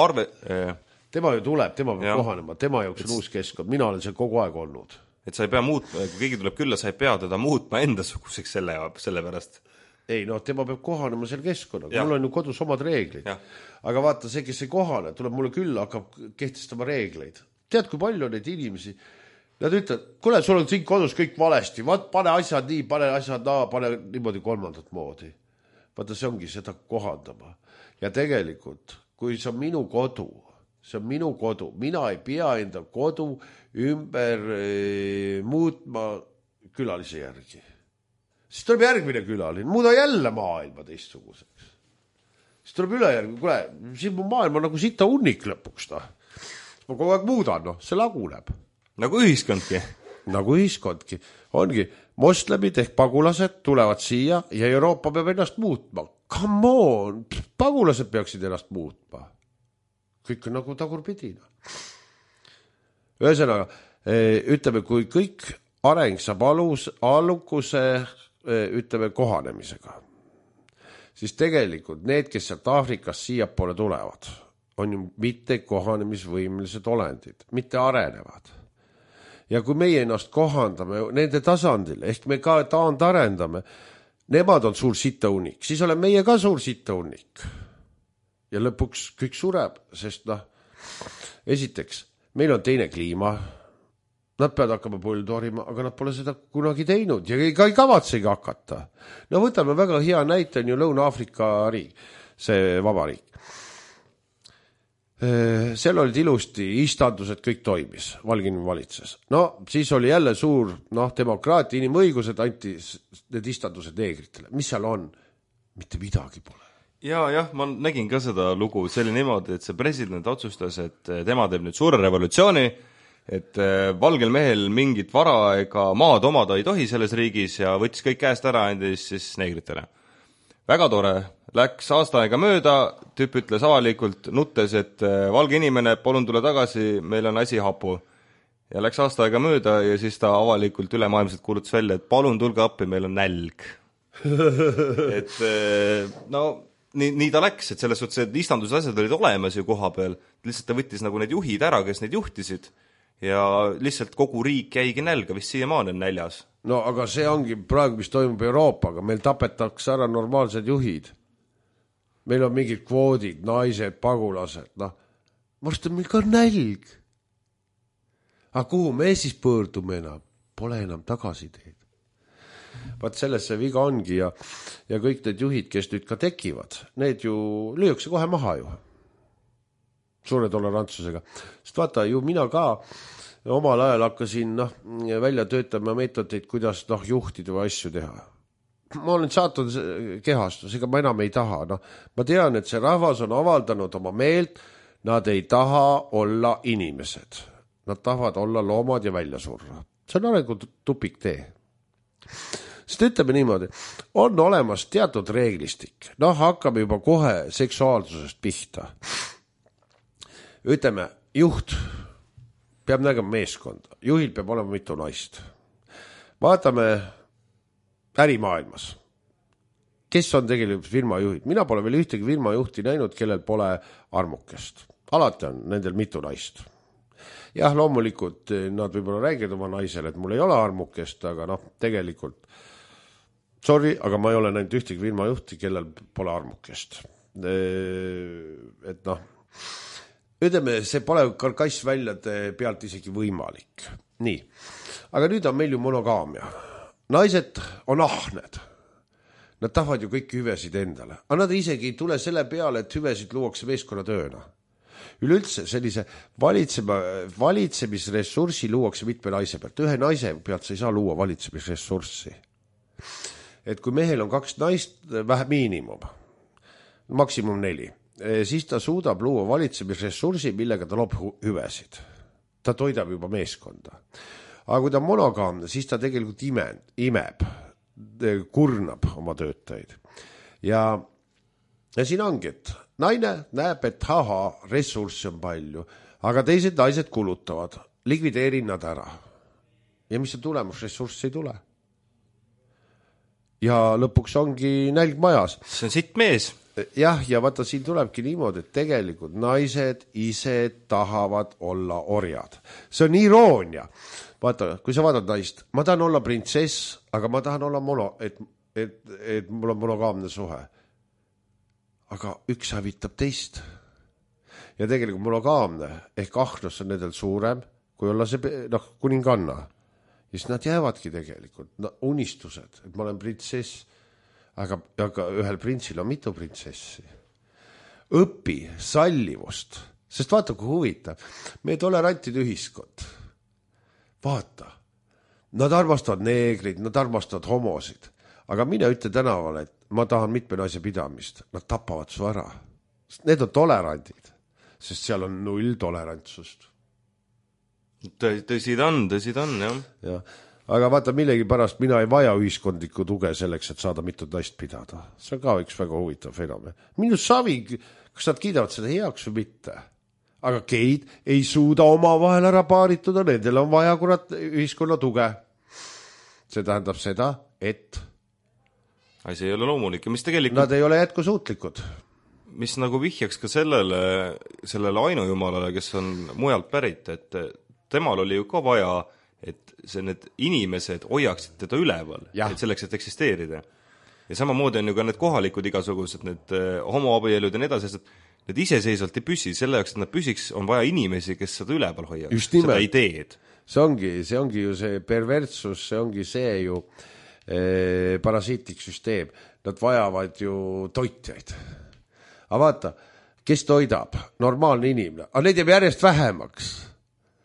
tema ju tuleb, tema peab kohanema, tema jaoks on uus keskkond, mina olen seal kogu aeg olnud. Et sa ei pea muutma, kui keegi tuleb külla, sa ei pea teda muutma endasuguseks selle pärast. Ei, tema peab kohanema selle keskkonnaga, mul on ju kodus omad reeglid. Aga vaata, see, kes ei kohane, tuleb mulle külla, hakkab kehtestama reegleid. Tead, kui palju on neid inimesi, nad ütlevad, kuule, sul on siin kodus kõik valesti, pane asjad nii, pane asjad naa, pane niimoodi kolmandat moodi. Vaata, see ongi seda kohandama. Ja tegelikult, kui see on minu kodu, see on minu kodu, mina ei pea enda kodu ümber muutma külalise järgi. Siis tuleb järgmine külaline, muuda jälle maailma teistsuguseks. Siis tuleb ülejärgi, kuule, siin mu maailma nagu sita unnik lõpuks. Ma kogu aeg muudan, see laguneb. Nagu ühiskondki. Nagu ühiskondki. Ongi, moslemid ehk pagulased tulevad siia ja Euroopa peab ennast muutma. Come on, pagulased peaksid ennast muutma. Kõik on nagu tagurpidina. Ühesõnaga, ütleme, kui kõik areng saab allukuse ütleme kohanemisega, siis tegelikult need, kes sealt Aafrikast siia poole tulevad, on ju mitte kohanemisvõimelised olendid, mitte arenevad. Ja kui meie ennast kohandame nende tasandil, ehk me ka taandarendame, nemad on suur sitaunik, siis olen meie ka suur sitaunik. Ja lõpuks kõik sureb, sest esiteks, meil on teine kliima, nad peavad hakkama põldorima, aga nad pole seda kunagi teinud ja ei kavatsegi hakata. Võtame väga hea näite, on ju Lõuna-Aafrika riik, see vabariik. Seal olid ilusti istandused, kõik toimis, Valgini valitses. Siis oli jälle suur demokraatia, inimõigused anti need istandused neegritele. Mis seal on? Mitte midagi pole. Jah, ma nägin ka seda lugu, see oli niimoodi, et see president otsustas, et tema teeb nüüd suure revolutsiooni, et valgel mehel mingit vara ega maad omada ei tohi selles riigis ja võttis kõik käest ära, andis siis neegritele. Väga tore, läks aasta aega mööda, tüüp ütles avalikult nuttes, et valge inimene, palun tule tagasi, meil on asi hapu. Ja läks aasta aega mööda ja siis ta avalikult ülemaailmselt kuulutas välja, et palun tulge appi, meil on nälg. Et nii ta läks, et selles suhtes, et istandused asjad olid olemas ju koha peal, lihtsalt ta võttis nagu need juhid ära, kes neid juhtisid ja lihtsalt kogu riik jäigi nälga, vist siiamaani on näljas. Aga see ongi praegu, mis toimub Euroopaga, meil tapetakse ära normaalsed juhid. Meil on mingid kvoodid, naised, pagulased, varsti on meil ka nälg. Aga kuhu me siis pöördume enam? Pole enam tagasiteed. Vaat selles see viga ongi ja kõik need juhid, kes nüüd ka tekivad, need ju lüüakse kohe maha ju. Suure tolerantsusega. Sest vaata, ju mina ka omal ajal hakkasin välja töötama meetodeid, kuidas juhtida või asju teha. Ma olen saatnud kehastus, ega ma enam ei taha. Ma tean, et see rahvas on avaldanud oma meelt, nad ei taha olla inimesed. Nad tahavad olla loomad ja välja surra. See on arengu tupik tee. Sest ütleme niimoodi, on olemas teatud reeglistik. Hakkame juba kohe seksuaalsusest pihta. Ütleme, juht peab nägema meeskonda. Juhil peab olema mitu naist. Vaatame ärimaailmas. Kes on tegelikult firmajuhid? Mina pole veel ühtegi firmajuhti näinud, kellel pole armukest. Alati on nendel mitu naist. Jah, loomulikult nad võib-olla räägivad oma naisele, et mul ei ole armukest, aga tegelikult sorry, aga ma ei ole näinud ühtegi firmajuhti, kellel pole armukest. Et ütleme, see pole karkassväljade pealt isegi võimalik. Nii, aga nüüd on meil ju monogaamia. Naised on ahned. Nad tahavad ju kõiki hüvesid endale. Aga nad isegi ei tule selle peale, et hüvesid luuakse meeskonnatööna. Üleüldse sellise valitsemisressurssi luuakse mitme naise pealt. Ühe naise pealt sa ei saa luua valitsemisressurssi. Et kui mehel on 2 naist, vähe miinimum, maksimum 4, siis ta suudab luua valitsemisressursi, millega ta loob hüvesid. Ta toidab juba meeskonda. Aga kui ta on monogaamne, siis ta tegelikult imeb, kurnab oma töötajaid. Ja siin ongi, et naine näeb, et ressurssi on palju, aga teised naised kulutavad, likvideerin nad ära. Ja mis on tulemus? Ressurssi ei tule. ja lõpuks ongi nälg majas. See on sitt mees. Jah, ja vaata, siin tulebki niimoodi, et tegelikult naised ise tahavad olla orjad. See on iroonia. Vaata, kui sa vaatad naist, ma tahan olla printsess, aga ma tahan olla et mul on monogaamne suhe. Aga üks hävitab teist. Ja tegelikult monogaamne ehk ahnus on nendel suurem, kui olla see kuninganna. Ja siis nad jäävadki tegelikult unistused, et ma olen printsess. Aga ühel printsil on mitu printsessi. Õpi sallivust, sest vaata, kui huvitav. Meie tolerantid ühiskond. Vaata, nad armastavad neegrid, nad armastavad homosid. Aga mine ütle tänavale, et ma tahan mitme naise pidamist. Nad tapavad su ära. Need on tolerandid, sest seal on 0 tolerantsust. Tõsi ta on, jah. Ja. Aga vaata, millegi pärast mina ei vaja ühiskondlikku tuge selleks, et saada mitut naist pidada. See on ka üks väga huvitav fenomen. Minu savi, kas nad kiidavad seda heaks või mitte? Aga geid ei suuda oma vahel ära paarituda, nendel on vaja kurat ühiskonna tuge. See tähendab seda, et see ei ole loomulik ja mis tegelikult nad ei ole jätkusuutlikud. Mis nagu vihjaks ka sellele ainujumalale, kes on mujalt pärit, et temal oli ju ka vaja, et need inimesed hoiaksid teda üleval, et selleks, et eksisteerida. Ja samamoodi on ju ka need kohalikud igasugused, need homoabielud ja nii edasi, et need iseseisvalt ei püsi, selle jaoks, et nad püsiks, on vaja inimesi, kes seda üleval hoiaks, seda ideed. See ongi ju see perversus, see ongi see ju parasiitlik süsteem. Nad vajavad ju toitjaid. Aga vaata, kes toidab? Normaalne inimene. Aga neid jääb järjest vähemaks.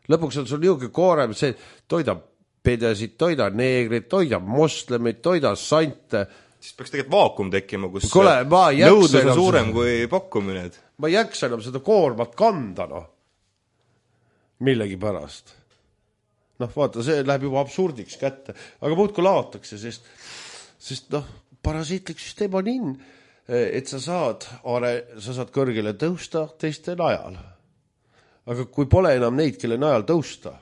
Lõpuks on sul niuke koorem, see toidab pedesid, toidab neegrid, toidab moslemid, toidab sante. Siis peaks tegelikult vaakum tekkima, kus nõudlus on suurem kui pakkumine. Ma ei jaksa enam seda koormat kanda, millegi pärast. Vaata, see läheb juba absurdiks kätte. Aga muudku laotakse, sest parasiitlik süsteem on et sa saad kõrgele tõusta teiste najal. Aga kui pole enam neid, kelle najal tõusta.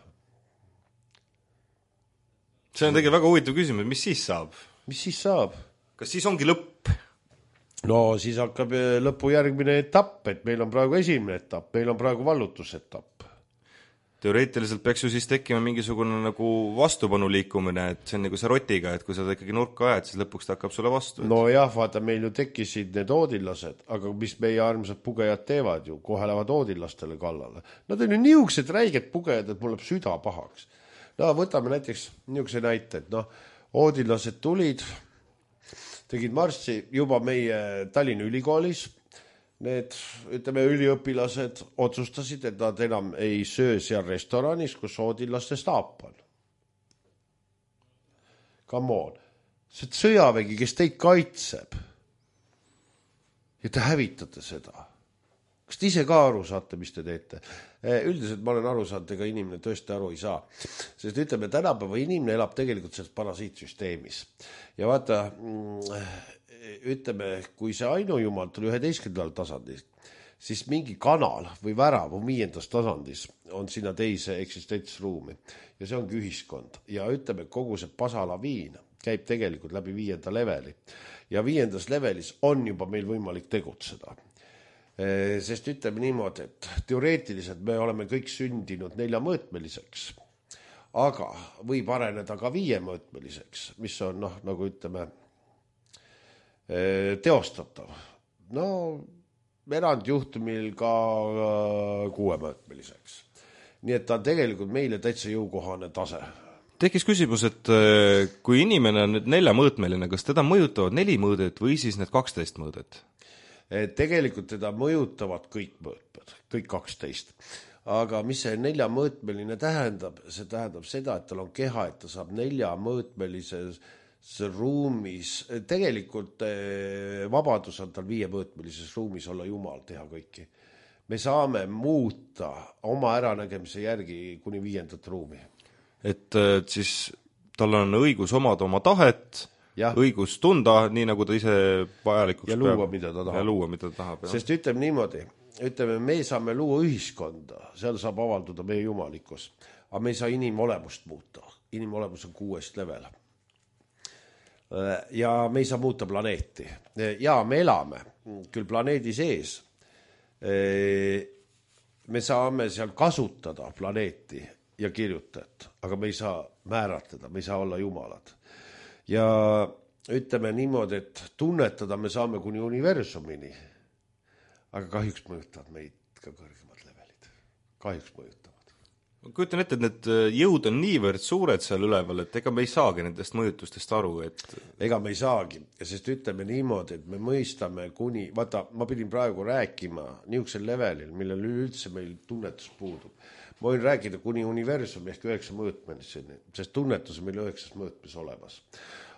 See on tegelikult väga huvitav küsimus, mis siis saab? Mis siis saab? Kas siis ongi lõpp? No siis hakkab lõpu järgmine etapp, et meil on praegu esimene etapp, meil on praegu vallutusetapp. Teoreetiliselt peaks ju siis tekkima mingisugune nagu vastupanu liikumine, et see on nagu see rotiga, et kui sa ikkagi nurka ajad, siis lõpuks ta hakkab sulle vastu. No jah, vaata, meil ju tekkisid need oodillased, aga mis meie armsad pugejad teevad ju, kohe lähevad oodillastele kallale. Nad on ju niisugused räiged pugejad, et mul läheb süda pahaks. Võtame näiteks niisuguse näite, et oodillased tulid, tegid marssi juba meie Tallinna ülikoolis. Need, üliõpilased otsustasid, et nad enam ei söö seal restoranis, kus oodillaste staap on. Come on. See sõjavägi, kes teid kaitseb. Ja te hävitate seda. Kas te ise ka aru saate, mis te teete? Üldiselt ma olen aru saanud, ega inimene tõesti aru ei saa. Sest ütleme, tänapäeva inimene elab tegelikult selles parasiitsüsteemis. Ja vaata, ütleme, kui see ainujumal tuli 11. tasandis, siis mingi kanal või värav on 5. tasandis on sinna teise eksistentsruumi. Ja see ongi ühiskond. Ja ütleme, kogu see pasalaviin käib tegelikult läbi 5. leveli. Ja 5. levelis on juba meil võimalik tegutseda. Sest ütleme niimoodi, et teoreetiliselt me oleme kõik sündinud 4-mõõtmeliseks, aga võib areneda ka 5-mõõtmeliseks, mis on, nagu ütleme, teostatav. Erandjuhtumil ka 6-mõõtmeliseks. Nii et ta on tegelikult meile täitsa jõukohane tase. Tekkis küsimus, et kui inimene on nüüd 4-mõõtmeline, kas teda mõjutavad 4 mõõdet või siis need 12 mõõdet? Tegelikult teda mõjutavad kõik mõõtmed, kõik 12. Aga mis see 4-mõõtmeline tähendab? See tähendab seda, et tal on keha, et ta saab 4-mõõtmelises ruumis. Tegelikult vabadus on tal 5-mõõtmelises ruumis olla Jumal, teha kõiki. Me saame muuta oma äranägemise järgi kuni 5. ruumi. Et siis tal on õigus omada oma tahet, õigus tunda, nii nagu ta ise vajalikuks ja luua, mida ta tahab. Ja luua, mida ta tahab. Sest ütleme niimoodi, me saame luua ühiskonda, seal saab avalduda meie jumalikkus, aga me ei saa inimolemust muuta. Inimolemus on 6. level. ja me ei saa muuta planeeti. Ja me elame küll planeedi sees. Me saame seal kasutada planeeti ja kirjutajat, aga me ei saa määratleda, me ei saa olla jumalad. Ja ütleme niimoodi, et tunnetada me saame kuni universumini, aga kahjuks mõjutavad meid ka kõrgemad levelid. Kahjuks mõjutavad. Ma kujutan ette, et need jõud on niivõrd suured seal üleval, et ega me ei saagi nendest mõjutustest aru, et... Ega me ei saagi, sest ütleme niimoodi, et me mõistame kuni... Vaata, ma pidin praegu rääkima niisugusel levelil, millel üldse meil tunnetus puudub. Ma võin rääkida kuni universumi ehk 9 mõõtmeliseni, sest tunnetus on meil 9 mõõtmes olemas.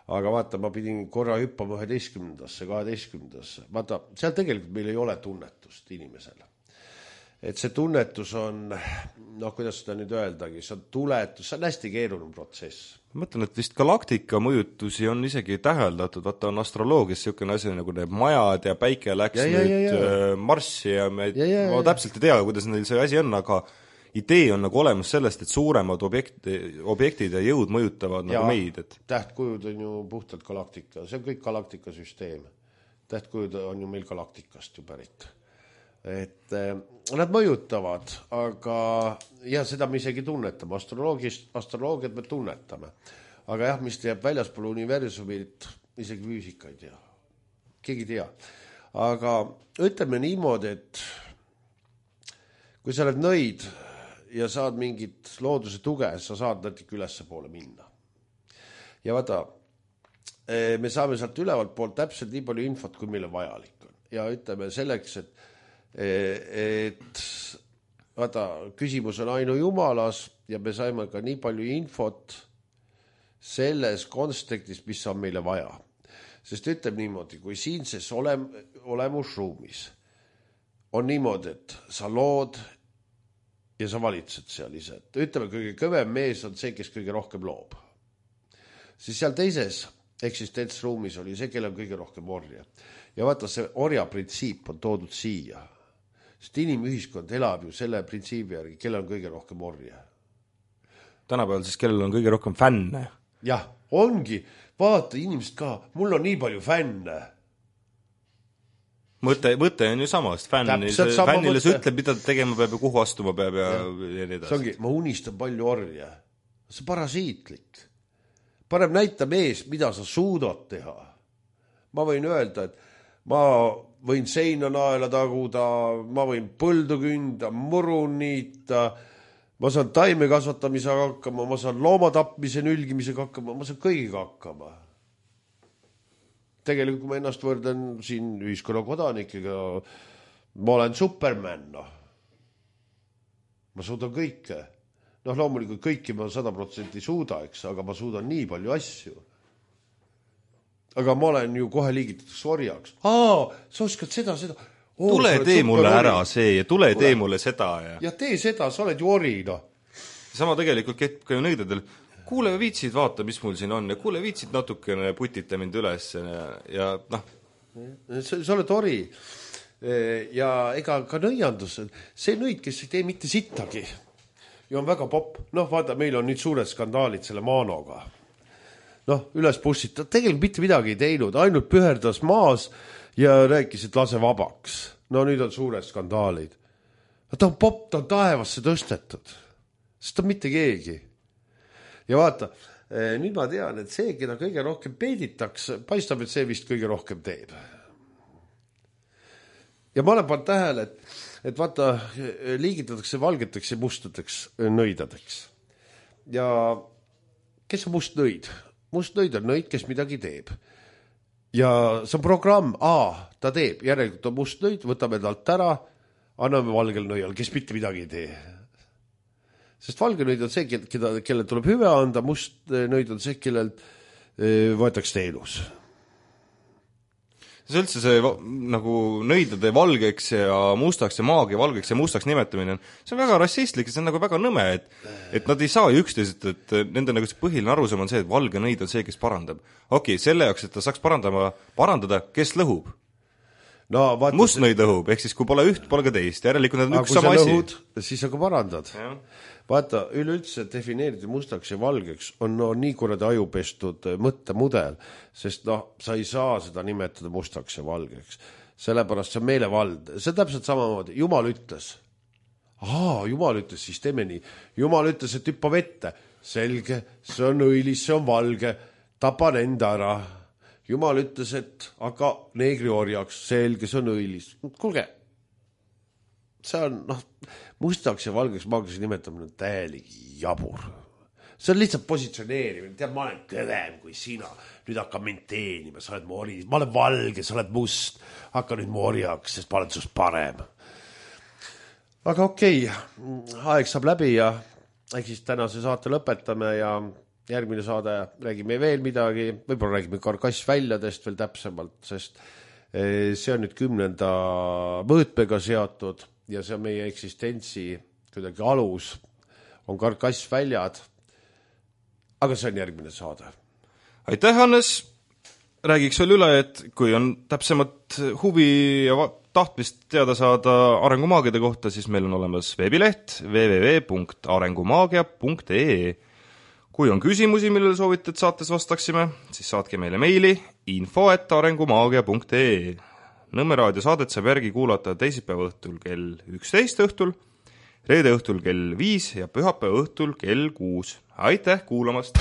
Aga vaata, ma pidin korra hüppama 11. 12. Vaata, seal tegelikult meil ei ole tunnetust inimesele. Et see tunnetus on, kuidas seda nüüd öeldagi, see on tuletus, see on hästi keeruline protsess. Ma mõtlen, et vist galaktika mõjutusi on isegi täheldatud, vaata on astroloogias niisugune asi nagu need majad ja päike läks Marssi ja ma täpselt ei tea, kuidas neil see asi on, aga idee on nagu olemas sellest, et suuremad objektid ja jõud mõjutavad nagu meid. Et... Tähtkujud on ju puhtalt galaktika, see on kõik galaktika süsteem. Tähtkujud on ju meil galaktikast ju pärit. Et nad mõjutavad, aga ja seda me isegi tunnetame, astroloogiat me tunnetame, aga jah, mis jääb väljaspool universumit, isegi füüsika ei tea, keegi ei tea, aga ütleme niimoodi, et kui sa oled nõid ja saad mingit looduse tuge, sa saad natuke ülesse poole minna ja vaata, me saame sealt ülevalt poolt täpselt nii palju infot, kui meile vajalik on ja ütleme selleks, et vaata, küsimus on ainu jumalas ja me saime ka nii palju infot selles kontekstis, mis on meile vaja. Sest ütleb niimoodi, kui siinses olemusruumis on niimoodi, et sa lood ja sa valitsed seal ise. Ütleme, kõige kõvem mees on see, kes kõige rohkem loob. Siis seal teises eksistentsruumis oli see, kellel on kõige rohkem orja. Ja vaata, see orja printsiip on toodud siia. Sest inimühiskond elab ju selle printsiibi järgi, kellel on kõige rohkem orja. Tänapäeval siis kellel on kõige rohkem fänne? Jah, ongi. Vaata inimesed ka, mul on nii palju fänne. Mõte on ju samast. Fännile see ütleb, mida ta tegema peab ja kuhu astuma peab ja nii edasi. See ongi, ma unistan palju orja. See on parasiitlik. Parem näita mees, mida sa suudad teha. Ma võin öelda, et ma võin seina naela taguda, ma võin põldu künda, muru niita, ma saan taime kasvatamisega hakkama, ma saan loomatapmise nülgimisega hakkama, ma saan kõigiga hakkama. Tegelikult, kui ma ennast võrdan siin ühiskonna kodanikega, ma olen Superman, Ma suudan kõike. Loomulikult kõiki ma 100% suuda, eks, aga ma suudan nii palju asju. Aga ma olen ju kohe liigitatud orjaks. Sa oskad seda. Tule tee mulle ära see ja tule tee mulle seda. Ja tee seda, sa oled ju ori, Sama tegelikult kehtib ka ju nõidadel. Kuule, viitsid vaata, mis mul siin on ja kuule, viitsid natukene putita mind üles ja Sa oled ori. Ja ega ka nõiandus, see nõid, kes ei tee mitte sittagi ja on väga popp. Vaata, meil on nüüd suured skandaalid selle Maanoga. Üles bussita, tegelikult mitte midagi ei teinud, ainult püherdas maas ja rääkis, et lase vabaks. Nüüd on suured skandaalid. Ta on popp, ta on taevasse tõstetud. Sest ta on mitte keegi. Ja vaata, nüüd ma tean, et see, keda kõige rohkem peiditakse, paistab, et see vist kõige rohkem teeb. Ja ma olen pannud tähele, et vaata, liigitatakse valgeteks ja mustadeks nõidadeks. Ja kes on must nõid? Must nõid on nõid, kes midagi teeb. Ja see on programm, ta teeb, järelikult on must nõid, võtame talt ära, anname valgel nõial, kes mitte midagi ei tee. Sest valge nõid on see, kellel tuleb hüve anda, must nõid on see, kellel võetakse teenus. See üldse see nagu nõidade valgeks ja mustaks ja maagia valgeks ja mustaks nimetamine, see on väga rassistlik ja see on nagu väga nõme, et nad ei saa ju üksteisest, et nende nagu see põhiline arusaam on see, et valge nõid on see, kes parandab. Okei, selle jaoks, et ta saaks parandada, kes lõhub? no, vaata, mustnõid õhub, ehk siis kui pole üht, pole ka teist, järelikult need on üks sama asi. Siis aga parandad. Vaata, üleüldse defineerida mustaks ja valgeks on nii kuradi ajupestud mõttemudel, sest sa ei saa seda nimetada mustaks ja valgeks. Sellepärast see on meelevald. See on täpselt samamoodi. Jumal ütles, siis teeme nii. Jumal ütles, et hüppa vette. Selge, see on õilis, see on valge, tapan enda ära. Jumal ütles, et aga neegri orjaks, selge, see on õilis. Kuulge, see on, mustaks ja valgeks maagilise nimetamine on täielik jabur. See on lihtsalt positsioneerimine. Tead, ma olen kõvem kui sina. Nüüd hakka mind teenima, sa oled mu ori. Ma olen valge, sa oled must. Hakka nüüd mu orjaks, sest ma olen sust parem. Aga okei, aeg saab läbi ja siis tänase saate lõpetame ja järgmine saade räägime veel midagi, võib-olla räägime karkassväljadest veel täpsemalt, sest see on nüüd 10. mõõtmega seotud ja see on meie eksistentsi kuidagi alus, on karkassväljad, aga see on järgmine saade. Aitäh, Hannes! Räägiks veel üle, et kui on täpsemat huvi ja tahtmist teada saada arengumaagiade kohta, siis meil on olemas veebileht www.arengumaagia.ee. Kui on küsimusi, millele soovite, et saates vastaksime, siis saatke meile meili info@arengumaagia.ee. Nõmme raadio saadet saab järgi kuulata teisipäeva õhtul kell 11 õhtul, reede õhtul kell 5 ja pühapäeva õhtul kell 6. Aitäh kuulamast!